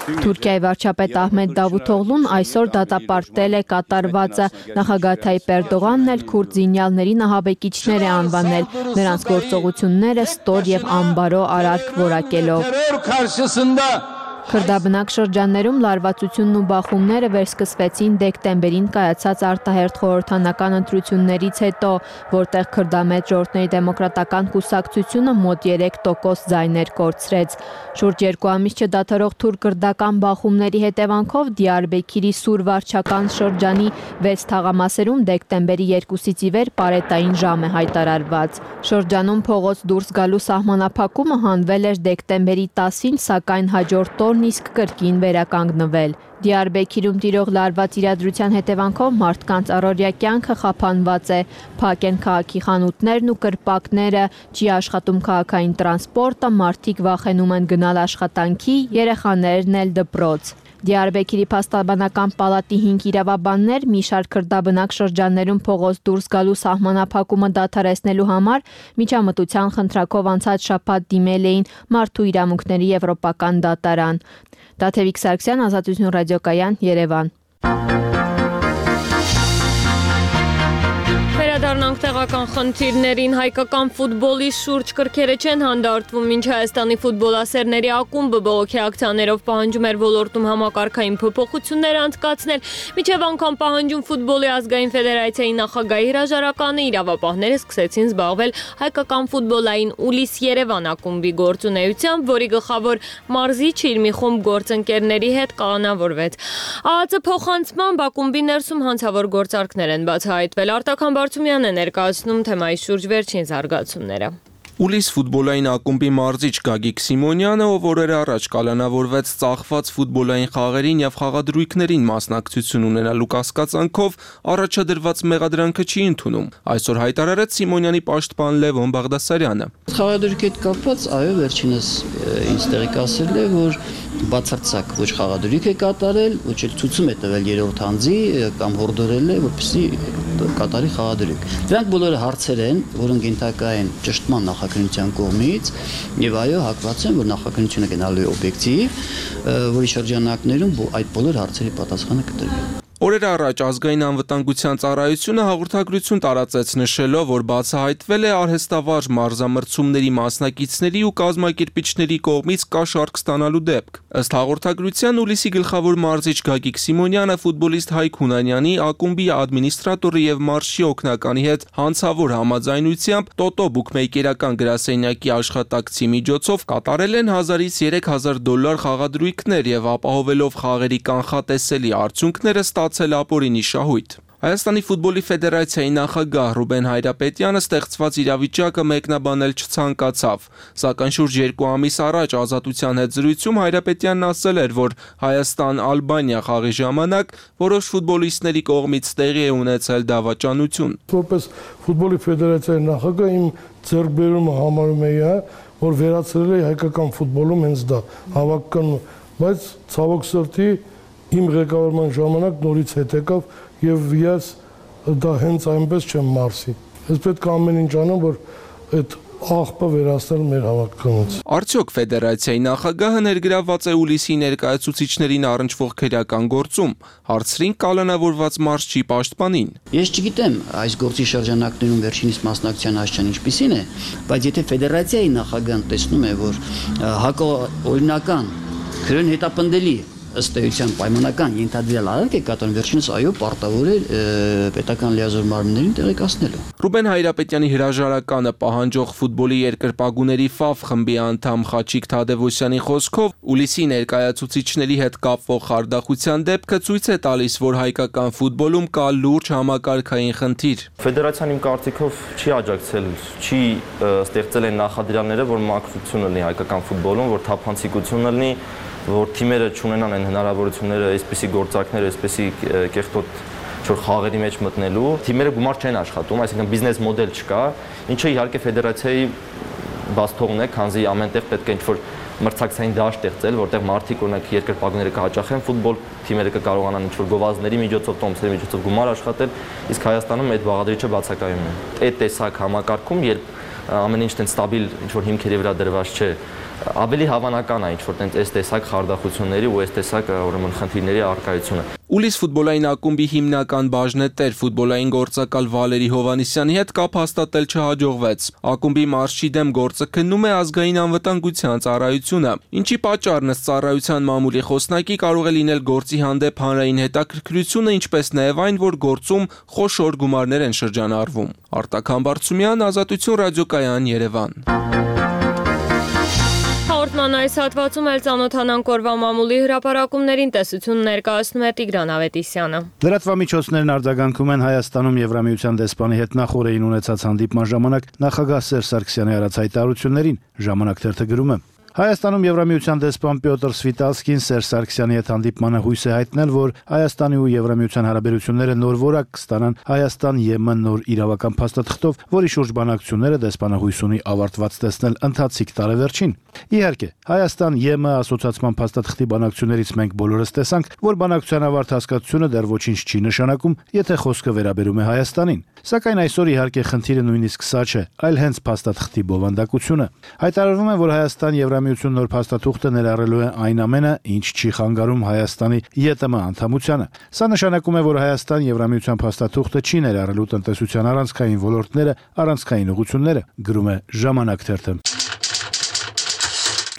Թուրքիայի վարչապետ Ահմեդ Դավութօղլուն այսօր դատապարտել է կատարվածը, նախագահ Թայիպ Էրդողանն էլ քուրդ զինյալների նահաբեկիչներ է անվանել, նրանց գործողությունները ստոր եւ անբարո արարք որակելով։ Քրդաբնակ շրջաններում լարվածությունն ու բախումները վերսկսվեցին դեկտեմբերին կայացած արտահերթ խորհրդանական ընտրություններից հետո, որտեղ քրդամետ ժողովրդների դեմոկրատական կուսակցությունը մոտ երեք տոկոս ձայներ կորցրեց։ Շուրջ երկու ամիս չդադարող թուրք-քրդական բախումների հետևանքով Դիարբեքիրի Սուր վարչական շրջանի վեց թաղամասերում դեկտեմբերի երկուսից ի վեր պարետային ժամ է հայտարարված։ Շրջանում փողոց դուրս գալու սահմանափակումը հանվել էր դեկտեմբերի տասին, սակայն հաջորդ օրն իսկ կրկին վերականգնվել։ Դիարբեքիրում տիրող լարված իրադրության հետևանքով մարդկանց առօրյա կյանքը խափանված է, փակ են քաղաքի խանութներն ու կրպակները, չի աշխատում քաղաքային տրանսպորտը, մարդիկ վախենում են գնալ աշխատանքի, երեխաներն էլ դպրոց։ Դիարբեքիրի փաստաբանական պալատի հինգ իրավաբաններ մի շարք քրդաբնակ շրջաններում փողոց դուրս գալու սահմանափակումը դադարեցնելու համար միջամտության խնդրակով անցած շաբաթ դիմել էին Մարդու իրավունքների եվրոպական դատարան։ Տաթևիկ Սարգսյան, Ազատություն ռադիոկայան, Երևան։ Վերադառնանք տեղական խնդիրներին, հայկական ֆուտբոլի շուրջ կրքերը չեն հանդարտվում, մինչ Հայաստանի ֆուտբոլասերների ակումբը բողոքի ակցիաներով պահանջում էր ոլորտում համակարգային փոփոխություններ անցկացնել, մինչև անգամ պահանջում ֆուտբոլի ազգային ֆեդերացիայի նախագահի հրաժարականը, իրավապահները սկսեցին զբաղվել հայկական ֆուտբոլային Ուլիս Երևան ակումբի գործունեությամբ, որի գլխավոր մարզիչ իր մի խումբ գործընկերների հետ կանոնավորվեց։ ԱԱԾ փոխանցմամբ ակումբի ներսում հանցավոր գործարքներ են բացահայտվել։ Արտակ Բարցումյանն է ներկայացնում թեմայի շուրջ վերջին զարգացումները։ Ուլիս ֆուտբոլային ակումբի մարզիչ Գագիկ Սիմոնյանը, ով օրեր առաջ կալանավորվեց ծախված ֆուտբոլային խաղերին եւ խաղադրույքներին մասնակցություն ունենալու կասկածանքով, առաջադրված մեղադրանքը չի ընդունում։ Այսօր հայտարարեց Սիմոնյանի պաշտպան Լևոն Բաղդասարյանը։ Խաղադրույքի հետ կապված, այո, վերջինս ինձ տեղիք ասել է, որ բացարձակ ոչ խաղադրույք է կատարել, ոչ էլ ցույցում է տվել երրորդ անձի կամ հորդորել է, որպեսզի կատարի խաղադրույք։ Դրանք բոլորը հարցեր են, որոնք ենթակա են ճշտման նախաքննության կողմից, եւ այո, հակված են, որ նախաքննությունը գնալու է օբյեկտիվ, որի շրջանակներում այդ բոլոր հարցերի պատասխանը կտրվի։ Օրեր առաջ ազգային անվտանգության ծառայությունը հաղորդագրություն տարածեց նշելով, որ բացահայտվել է արհեստավարժ մարզամրցումների մասնակիցների ու կազմակերպիչների կողմից կաշառք ստանալու դեպք։ Ըստ հաղորդագրության Ուլիսի գլխավոր մարզիչ Գագիկ Սիմոնյանը ֆուտբոլիստ Հայկ Հունանյանի, ակումբի ադմինիստրատորի եւ մարզչի օգնականի հետ հանցավոր համաձայնությամբ տոտո բուքմեյքերական գրասենյակի աշխատակցի միջոցով կատարել են հազարից երեք հազար դոլար խաղադրույքներ եւ ապահովելով խաղերի կանխատեսելի արդյունքները ստացել ապօրինի շահույթ։ Հայաստանի ֆուտբոլի ֆեդերացիայի նախագահ Ռուբեն Հայրապետյանը ստեղծված իրավիճակը մեկնաբանել չցանկացավ, սակայն շուրջ երկու ամիս առաջ Ազատության հետ զրույցում Հայրապետյանն ասել էր, որ Հայաստան-Ալբանիա խաղի ժամանակ որոշ ֆուտբոլիստների կողմից տեղի է ունեցել դավաճանություն։ Որպես ֆուտբոլի ֆեդերացիայի նախագահ իմ ձեռքբերումը համարում էի, որ վերացրել է հայկական ֆուտբոլում հենց դա հավաքական, բայց ցավոք սրտի իմ ղեկավարման ժամանակ նորից հետ եկավ եւ ես դա հենց այնպես չեմ մարսի։ Ես պետք է ամեն ինչ անեմ, որ այդ աղբը վերացնել մեր հավաքականից։ Արդյոք ֆեդերացիայի նախագահը ներգրավված է Ուլիսի ներկայացուցիչներին առնչվող քրեական գործում, հարցրին կալանավորված մարզչի պաշտպանին։ Ես չգիտեմ այս գործի շրջանակներում վերջինիս մասնակցության աշխարհն ինչպիսին է, բայց եթե ֆեդերացիայի նախագահն տեսնում է, որ հակաօրինական քրեն հետապնդելի ըստ էության պայմանական ենթադրյալ արարք է կատարում, վերջինս այո պարտավոր է պետական լիազոր մարմիններին տեղեկացնելու։ Ռուբեն Հայրապետյանի հրաժարականը պահանջող ֆուտբոլի երկրպագուների Ֆավ խմբի անդամ Խաչիկ Թադևոսյանի խոսքով Ուլիսի ներկայացուցիչների հետ կապվող խարդախության դեպքը ցույց է տալիս, որ հայկական ֆուտբոլում կա լուրջ համակարգային խնդիր։ Ֆեդերացիան իմ կարծիքով չի աջակցել, չի ստեղծել այն նախադրյալները, որ մաքրություն լինի հայկական ֆուտբոլում, որ թափանցիկություն լինի, որ թիմերը չունենան այն հնարավորությունները, այսպիսի գործարքներ, այսպիսի կեղտոտ չոր խաղերի մեջ մտնելու, թիմերը գումար չեն աշխատում, այսինքն բիզնես մոդել չկա, ինչը իհարկե ֆեդերացիայի բաց թողն է, քանզի ամենտեղ պետք է ինչ-որ մրցակցային դաշտ ստեղծել, որտեղ մարդիկ օրինակ երկրպագուները կհաճախեն ֆուտբոլ, թիմերը կկարողանան ինչ-որ գովազդների միջոցով, տոմսերի միջոցով գումար աշխատել, իսկ Հայաստանում այդ բաղադրիչը բացակայում է։ Այդ տեսակ համակարգում, երբ ամեն ինչ տենց ստաբիլ ինչ-որ հիմքերի վրա դրված չէ, ավելի հավանական է ինչ-որ տենց այս տեսակ խարդախությունների ու այս տեսակ ուրեմն խնդիրների առկայությունը։ Ուլիս ֆուտբոլային ակումբի հիմնական բաժնետեր ֆուտբոլային գործակալ Վալերի Հովանիսյանի հետ կապ հաստատել չհաջողվեց։ Ակումբի մարզչի դեմ գործը քննում է ազգային անվտանգության ծառայությունը, ինչի պատճառն ըստ ծառայության մամուլի խոսնակի կարող է լինել գործի հանդեպ հանրային հետաքրքրությունը, ինչպես նաև այն, որ գործում խոշոր գումարներ են շրջանառվում։ Արտակ Համբարձումյան, Ազատություն ռադիոկայան, Երևան։ Հաղորդման այս հատվածում էլ ծանոթանանք օրվա մամուլի հրապարակումներին, տեսություն ներկայացնում է Տիգրան Ավետիսյանը։ Լրատվամիջոցներն արձագանքում են Հայաստանում Եվրամիության դեսպանի հետ նախորդին ունեցած հանդիպման ժամանակ նախագահ Սերժ Սարգսյանի արած հայտարարություններին։ Ժամանակ թերթը գրում է. Հայաստանում Եվրամիության դեսպան Պյոտր Սվիտալսկին Սերժ Սարգսյանի հետ հանդիպմանը հույս է հայտնել, որ Հայաստանի ու Եվրամիության հարաբերությունները նոր որակ կստանան Հայաստան-ԵՄ նոր իրավական փաստաթղթով, որի շուրջ բանակցությունները դեսպանը հույս ունի ավարտված տեսնել ընթացիկ տարեվերջին։ Իհարկե, Հայաստան-ԵՄ ասոցիացման փաստաթղթի բանակցություններից մենք բոլորս տեսանք, որ բանակցության ավարտ հասկացությունը դեռ ոչինչ չի նշանակում, եթե խոսքը վերաբերում է Հայաստանին։ Սակայն այսօր իհարկե խնդիրը նույնիսկ սա չէ, այլ հենց փաստաթղթի բովանդակությունը։ Հայտարարվում է, որ Հայաստան-Եվրամիություն նոր փաստաթուղթը ներառելու է այն ամենը, ինչ չի խանգարում Հայաստանի ԵՏՄ անդամությանը։ Սա նշանակում է, որ Հայաստան-Եվրամիության փաստաթուղթը չի ներառելու տնտեսության առանցքային ոլորտները, առանցքային ուղղությունները, գրում է Ժամանակ թերթը։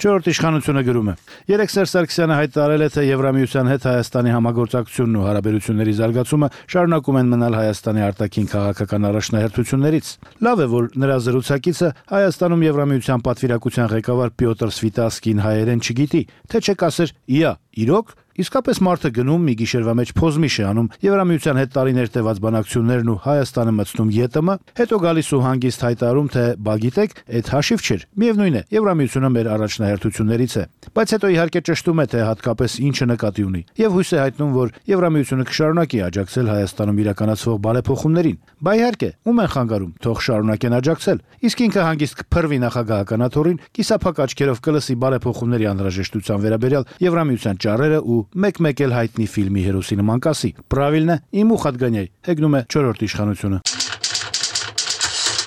Չորրորդ իշխանությունը գրում է. Երեք Սերժ Սարգսյանը հայտարարել է, թե Եվրամիության հետ Հայաստանի համագործակցությունն ու հարաբերությունների զարգացումը շարունակում են մնալ Հայաստանի արտաքին քաղաքական առաջնահերթություններից։ Լավ է, որ նրա զրուցակիցը Հայաստանում Եվրամիության պատվիրակության ղեկավար Պյոտր Սվիտալսկին հայերեն չգիտի, թե չեք ասեր՝ «Իա, իրոք»։ Իսկապես մարդը գնում մի գիշերվա մեջ փոզմիշ է անում Եվրամիության հետ տարիներ տևած բանակցություններն ու Հայաստանը մտցնում ԵՏՄ, հետո գալիս ու հանգիստ հայտարարում, թե բա գիտեք, այդ հաշիվ չէր։ Միևնույն է, Եվրամիությունը մեր առաջնահերթություններից է։ Բայց հետո իհարկե ճշտում է, թե հատկապես ինչը նկատի ունի, եւ հույս է հայտնում, որ Եվրամիությունը կշարունակի աջակցել Հայաստանում իրականացվող բարեփոխումներին։ Բա իհարկե, ում են խանգարում, թող շարունակեն աջակցել։ Իսկ ինքը հանգիստ կփռվի նախագահական աթոռին, կիսափակ աչքերով կլսի բարեփոխումների անհրաժեշտության վերաբերյալ Եվրամիության ճառերը ու մեկ-մեկ էլ հայտնի ֆիլմի հերոսի նման կասի. «Պրավիլն է, իմ ուխ отгоняй», հեգնում է չորրորդ իշխանությունը։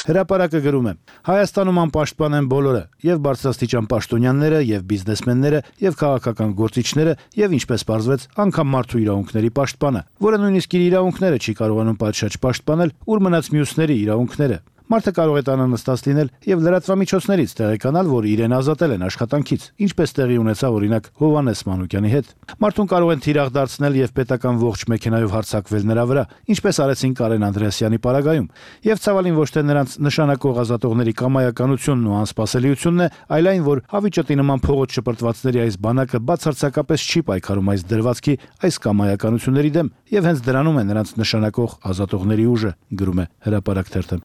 Հրապարակը գրում է. Հայաստանում անպաշտպան են բոլորը, եւ բարձրաստիճան պաշտոնյաները, եւ բիզնեսմենները, եւ քաղաքական գործիչները, եւ ինչպես պարզվեց, անգամ մարդու իրավունքների պաշտպանը, որը նույնիսկ իր իրավունքները չի կարողանում պատշաճ պաշտպանել, ուր մնաց մյուսների իրավունքները։ Մարդը կարող է տանանստած լինել եւ լրատվամիջոցներից տեղեկանալ, որ իրեն ազատել են աշխատանքից, ինչպես տեղի ունեցավ օրինակ Հովհաննես Մանուկյանի հետ։ Մարդուն կարող են թիրախ դարձնել եւ պետական ողջ մեքենայով հարձակվել նրա վրա, ինչպես արեցին Կարեն Անդրեասյանի պարագայում։ Եվ ցավալին ոչ թե նրանց նշանակող ազատողների կամայականությունն ու անսպասելիությունն է, այլ այն, որ հավիճտի նման փողոց շպրտվածների այս բանակը բացարձակապես չի պայքարում այս դրվածքի, այս կամայականությունների դեմ, եւ հենց դրանում է նրանց նշանակող ազատողների ուժը, գրում է Հրապարակ թերթը։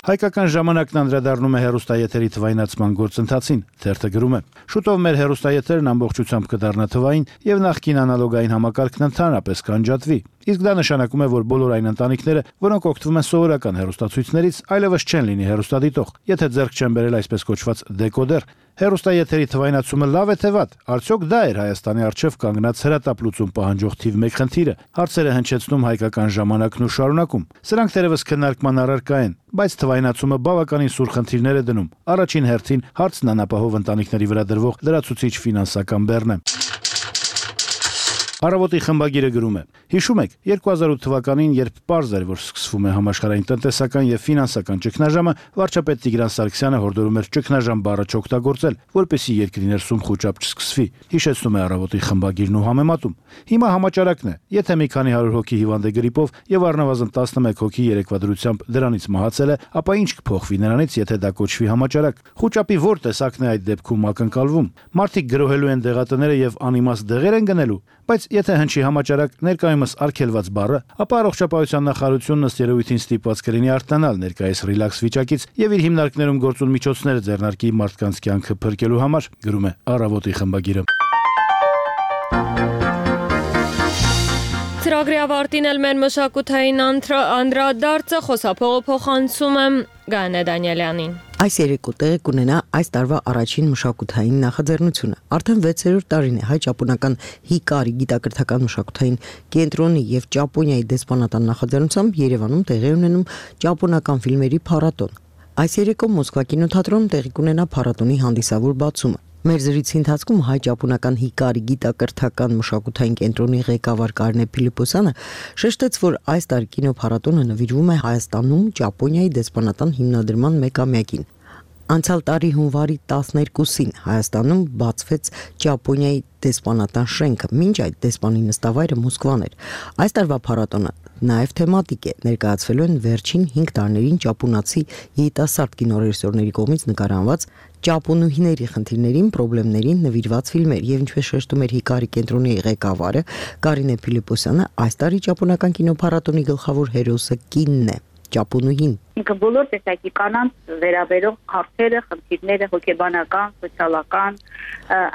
Հայկական ժամանակն անդրադառնում է հեռուստաեթերի թվայնացման գործընթացին, թերթը գրում է. Շուտով մեր հեռուստաեթերն ամբողջությամբ կդառնա թվային եւ նախկին անալոգային համակարգն ընդհանրապես կանջատվի։ Իսկ դա նշանակում է, որ բոլոր այն ընտանիքները, որոնք օգտվում են սովորական հեռուստացույցներից, այլևս չեն լինի հեռուստադիտող, եթե ձեռք չեն բերել այսպես կոչված դեկոդեր։ Հեռուստաեթերի թվայնացումը լավ է թե վատ։ Արդյոք դա էր Հայաստանի առջև կանգնած հրատապլուծում պահանջող թիվ մեկ խնդիրը։ Հարցերը հնչեցնում Հայկական ժամանակն ու շարունակում։ Սրանք թերևս քննարկման առարկա են, բայց թվայնացումը բավականին սուր խնդիրներ է դնում։ Առաջին հերթին հարցն անապահով ընտանիքների վրա դրվող լրացուցիչ ֆինանսական բեռն է։ Առավոտի խմբագիրը գրում է. Հիշում եք, երկու հազար ութ թվականին, երբ պարզ էր, որ սկսվում է համաշխարհային տնտեսական եւ ֆինանսական ճգնաժամը, վարչապետ Տիգրան Սարգսյանը հորդորում էր ճգնաժամ բառը չօգտագործել, որպեսզի երկրի ներսում խոճապ չսկսվի։ Հիշեցնում է Առավոտի խմբագիրն ու համեմատում։ Հիմա համաճարակն է, եթե մի քանի հարյուր հոգի հիվանդ է գրիպով եւ առնվազն տասնմեկ հոգի երեկվա դրությամբ դրանից մահացել է, ապա ինչ կփոխվի նրանից, եթե դա կոչվի համաճարակ։ Խոճապի ո՞ր տեսակն է այդ դեպքում ակնկալվում։ Մարդիկ գրոհելու են դեղատները եւ անիմաստ դեղեր են գնելու, բայց եթե հնչի համաճարակ ներկայումս արգելված բառը, ապա առողջապահության նախարարությունն ըստ երևույթին ստիպված կլինի արտանալ ներկայիս ռիլաքս վիճակից եւ իր հիմնարկներում գործուն միջոցները ձեռնարկի մարդկանց կյանքը փրկելու համար, գրում է Առավոտի խմբագիրը։ Ծրագրի ավարտին էլ մեր մշակութային անդրադարձը խոսափողը փոխանցում եմ Գայանե Դանիելյանին։ Այս երեկո տեղի կունենա այս տարվա առաջին մշակութային նախաձեռնությունը։ Արդեն վեցերորդ տարին է հայ-ճապոնական Հիկարի գիտակրթական մշակութային կենտրոնի եւ Ճապոնիայի դեսպանատան նախաձեռնությամբ Երևանում տեղի ունենում ճապոնական ֆիլմերի փառատոն։ Այս երեկո Մոսկվա կինոթատրոնում տեղի կունենա փառատոնի հանդիսավոր բացումը։ Մեր զրույցի ընթացքում հայ-ճապոնական Հիկարի գիտակրթական մշակութային կենտրոնի ղեկավար Կարինե Փիլիպոսյանը շեշտեց, որ այս տարի կինոփառատոնը նվիրվում է Հայաստանում Ճապոնիայի դեսպանատան հիմնադրման մեկամյակին։ Անցյալ տարի հունվարի տասներկուսին Հայաստանում բացվեց Ճապոնիայի դեսպանատան շենքը, մինչ այդ դեսպանի նստավայրը Մոսկվան էր։ Այս տարվա փառատոնը նաև թեմատիկ է, ներկայացվելու են վերջին հինգ տարիներին ճապոնացի երիտասարդ կինոռեժիսորների կողմից նկարահանված ճապոնուհիների խնդիրներին, խնդիրներին նվիրված ֆիլմեր, եւ ինչպես շեշտում էր Հիկարի կենտրոնի ղեկավարը Կարինե Փիլիպոսյանը, այս տարի ճապոնական կինոփառատոնի գլխավոր հերոսը կինն է, ճապոնուհին։ Ինքը բոլոր տեսակի կանանց վերաբերող հարցերը, խնդիրները, հոգեբանական, սոցիալական,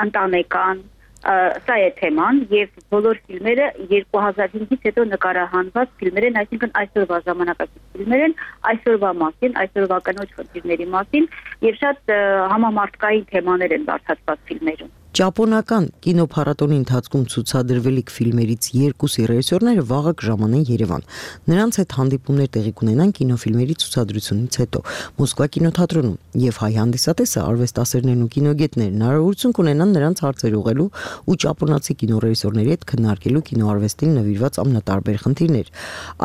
ընտանեկան, սա է թեման եւ բոլոր ֆիլմերը երկու հազար հինգից հետո նկարահանված ֆիլմեր են, այսինքն այսօրվա ժամանակակից ֆիլմեր են, այսօրվա մասին, այսօրվա կնոջ խնդիրների մասին եւ շատ համամարտկային թեմաներ են բարձրացված ֆիլմերում։ Ճապոնական կինոփառատոնի ընթացքում ցուցադրվելիք ֆիլմերից երկուսի ռեժիսորները վաղը կժամանեն Երևան։ Նրանց հետ հանդիպումներ տեղի կունենան կինոֆիլմերի ցուցադրությունից հետո Մոսկվա կինոթատրոնում եւ հայ հանդիսատեսը արվեստասերներն ու կինոգետներն հնարավորություն կունենան նրանց հարցեր ուղղելու ու ճապոնացի կինոռեժիսորների հետ քննարկելու կինոարվեստին նվիրված ամենատարբեր խնդիրներ։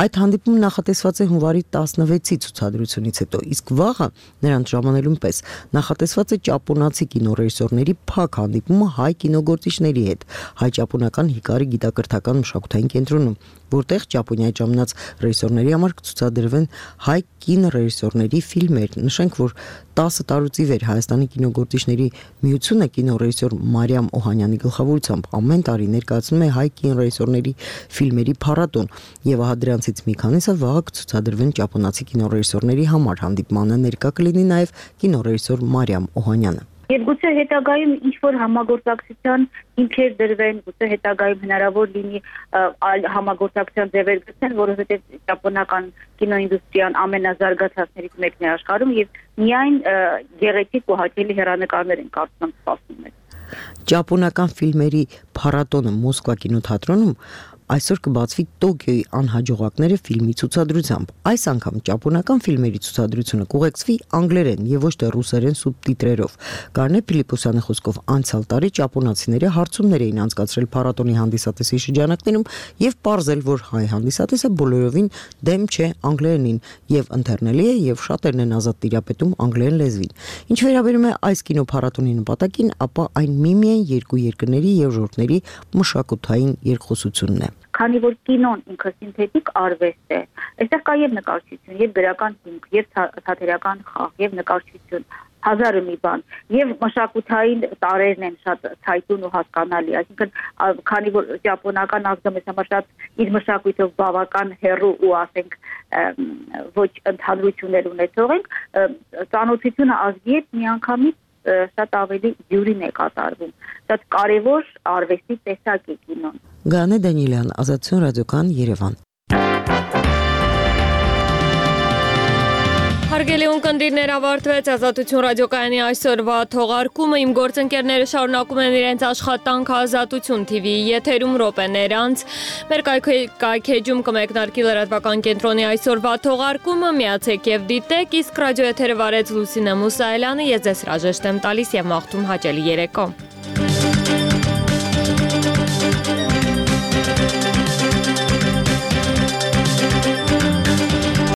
Այդ հանդիպումը նախատեսված է հունվարի տասնվեցի ցուցադրությունից հետո, իսկ վաղը նրանց ժամանելուն պես նախատեսված է ճապոնացի կինոռեժիսորների փակ հանդիպում հայ կինոգործիչների հետ հայ-ճապոնական Հիկարի գիտակրթական մշակութային կենտրոնում, որտեղ Ճապոնիայի ժամանած ռեժիսորների համար կցուցադրվեն հայ կինոռեժիսորների ֆիլմեր։ Նշենք, որ տասը տարուց ի վեր Հայաստանի կինոգործիչների միությունը կինոռեժիսոր Մարիամ Օհանյանի գլխավորությամբ ամեն տարի ներկայացնում է հայ կինոռեժիսորների ֆիլմերի փառատոն, եւ ահա դրանցից մի քանիսը վաղը կցուցադրվեն ճապոնացի կինոռեժիսորների համար։ Հանդիպմանը ներկա կլինի նաեւ կինոռեժիսոր Մարիամ Օհանյանը։ Եվ գուցե հետագայում ինչ-որ համագործակցության հիմքեր դրվեն, գուցե հետագայում հնարավոր լինի այլ համագործակցության ձևեր գտնել, որովհետև ճապոնական կինոինդուստրիան ամենազարգացածներից մեկն է աշխարհում եւ միայն գեղեցիկ ու հաճելի հեռանկարներ են կարծում սպասում մեզ։ Ճապոնական ֆիլմերի փառատոնը Մոսկվա կինոթատրոնում այսօր կբացվի Տոկիոյի անհաջողակները ֆիլմի ցուցադրությամբ։ Այս անգամ ճապոնական ֆիլմերի ցուցադրությունը կուղեկցվի անգլերեն եւ ոչ թե ռուսերեն սուբտիտրերով։ Գարնե Փիլիպոսյանի խոսքով անցյալ տարի ճապոնացիները հարցումներ էին անցկացրել փառատոնի հանդիսատեսի շրջանակներում եւ պարզել, որ հայ հանդիսատեսը բոլորովին դեմ չէ անգլերենին եւ ընթեռնելի է եւ շատերն են ազատ տիրապետում անգլերեն լեզվին։ Ինչ վերաբերում է այս կինոփառատոնի նպատակին, ապա այն միմիայն երկու երկրների եւ ժողովրդների մշակութային երկխոսությունն է։ Քանի որ կինոն ինքը սինթետիկ արվեստ է, այստեղ կա եւ նկարչություն, եւ գրական հիմք, եւ թատերական խաղ, եւ նկարչություն, հազարը մի բան, եւ մշակութային տարերն են շատ ցայտուն ու հասկանալի, այսինքն քանի որ ճապոնական ազգը մեզ համար շատ իր մշակույթով բավական հեռու ու ասենք ոչ ընդհանրություններ ունեցող ենք, ծանոթությունը ազգի հետ միանգամից շատ ավելի յուրին է կատարվում։ Շատ կարևոր արվեստի տեսակ է կինոն։ Գանե Դանիելյան, Ազատություն ռադիոկան, Երևան։ Հարգելի ունկնդիրներ, ավարտվեց Ազատություն ռադիոկայանի այսօրվա թողարկումը։ Իմ գործընկերները շարունակում են իրենց աշխատանքը Ազատություն թի վիի եթերում րոպեներ անց։ Մեր կայքեջում կմեկնարկի լրատվական կենտրոնի այսօրվա թողարկումը, միացեք եւ դիտեք, իսկ ռադիոեթերը վարեց Լուսինե Մուսայելյանը, ես ձեզ հրաժեշտ եմ տալիս եւ մաղթում հաճելի երեկո։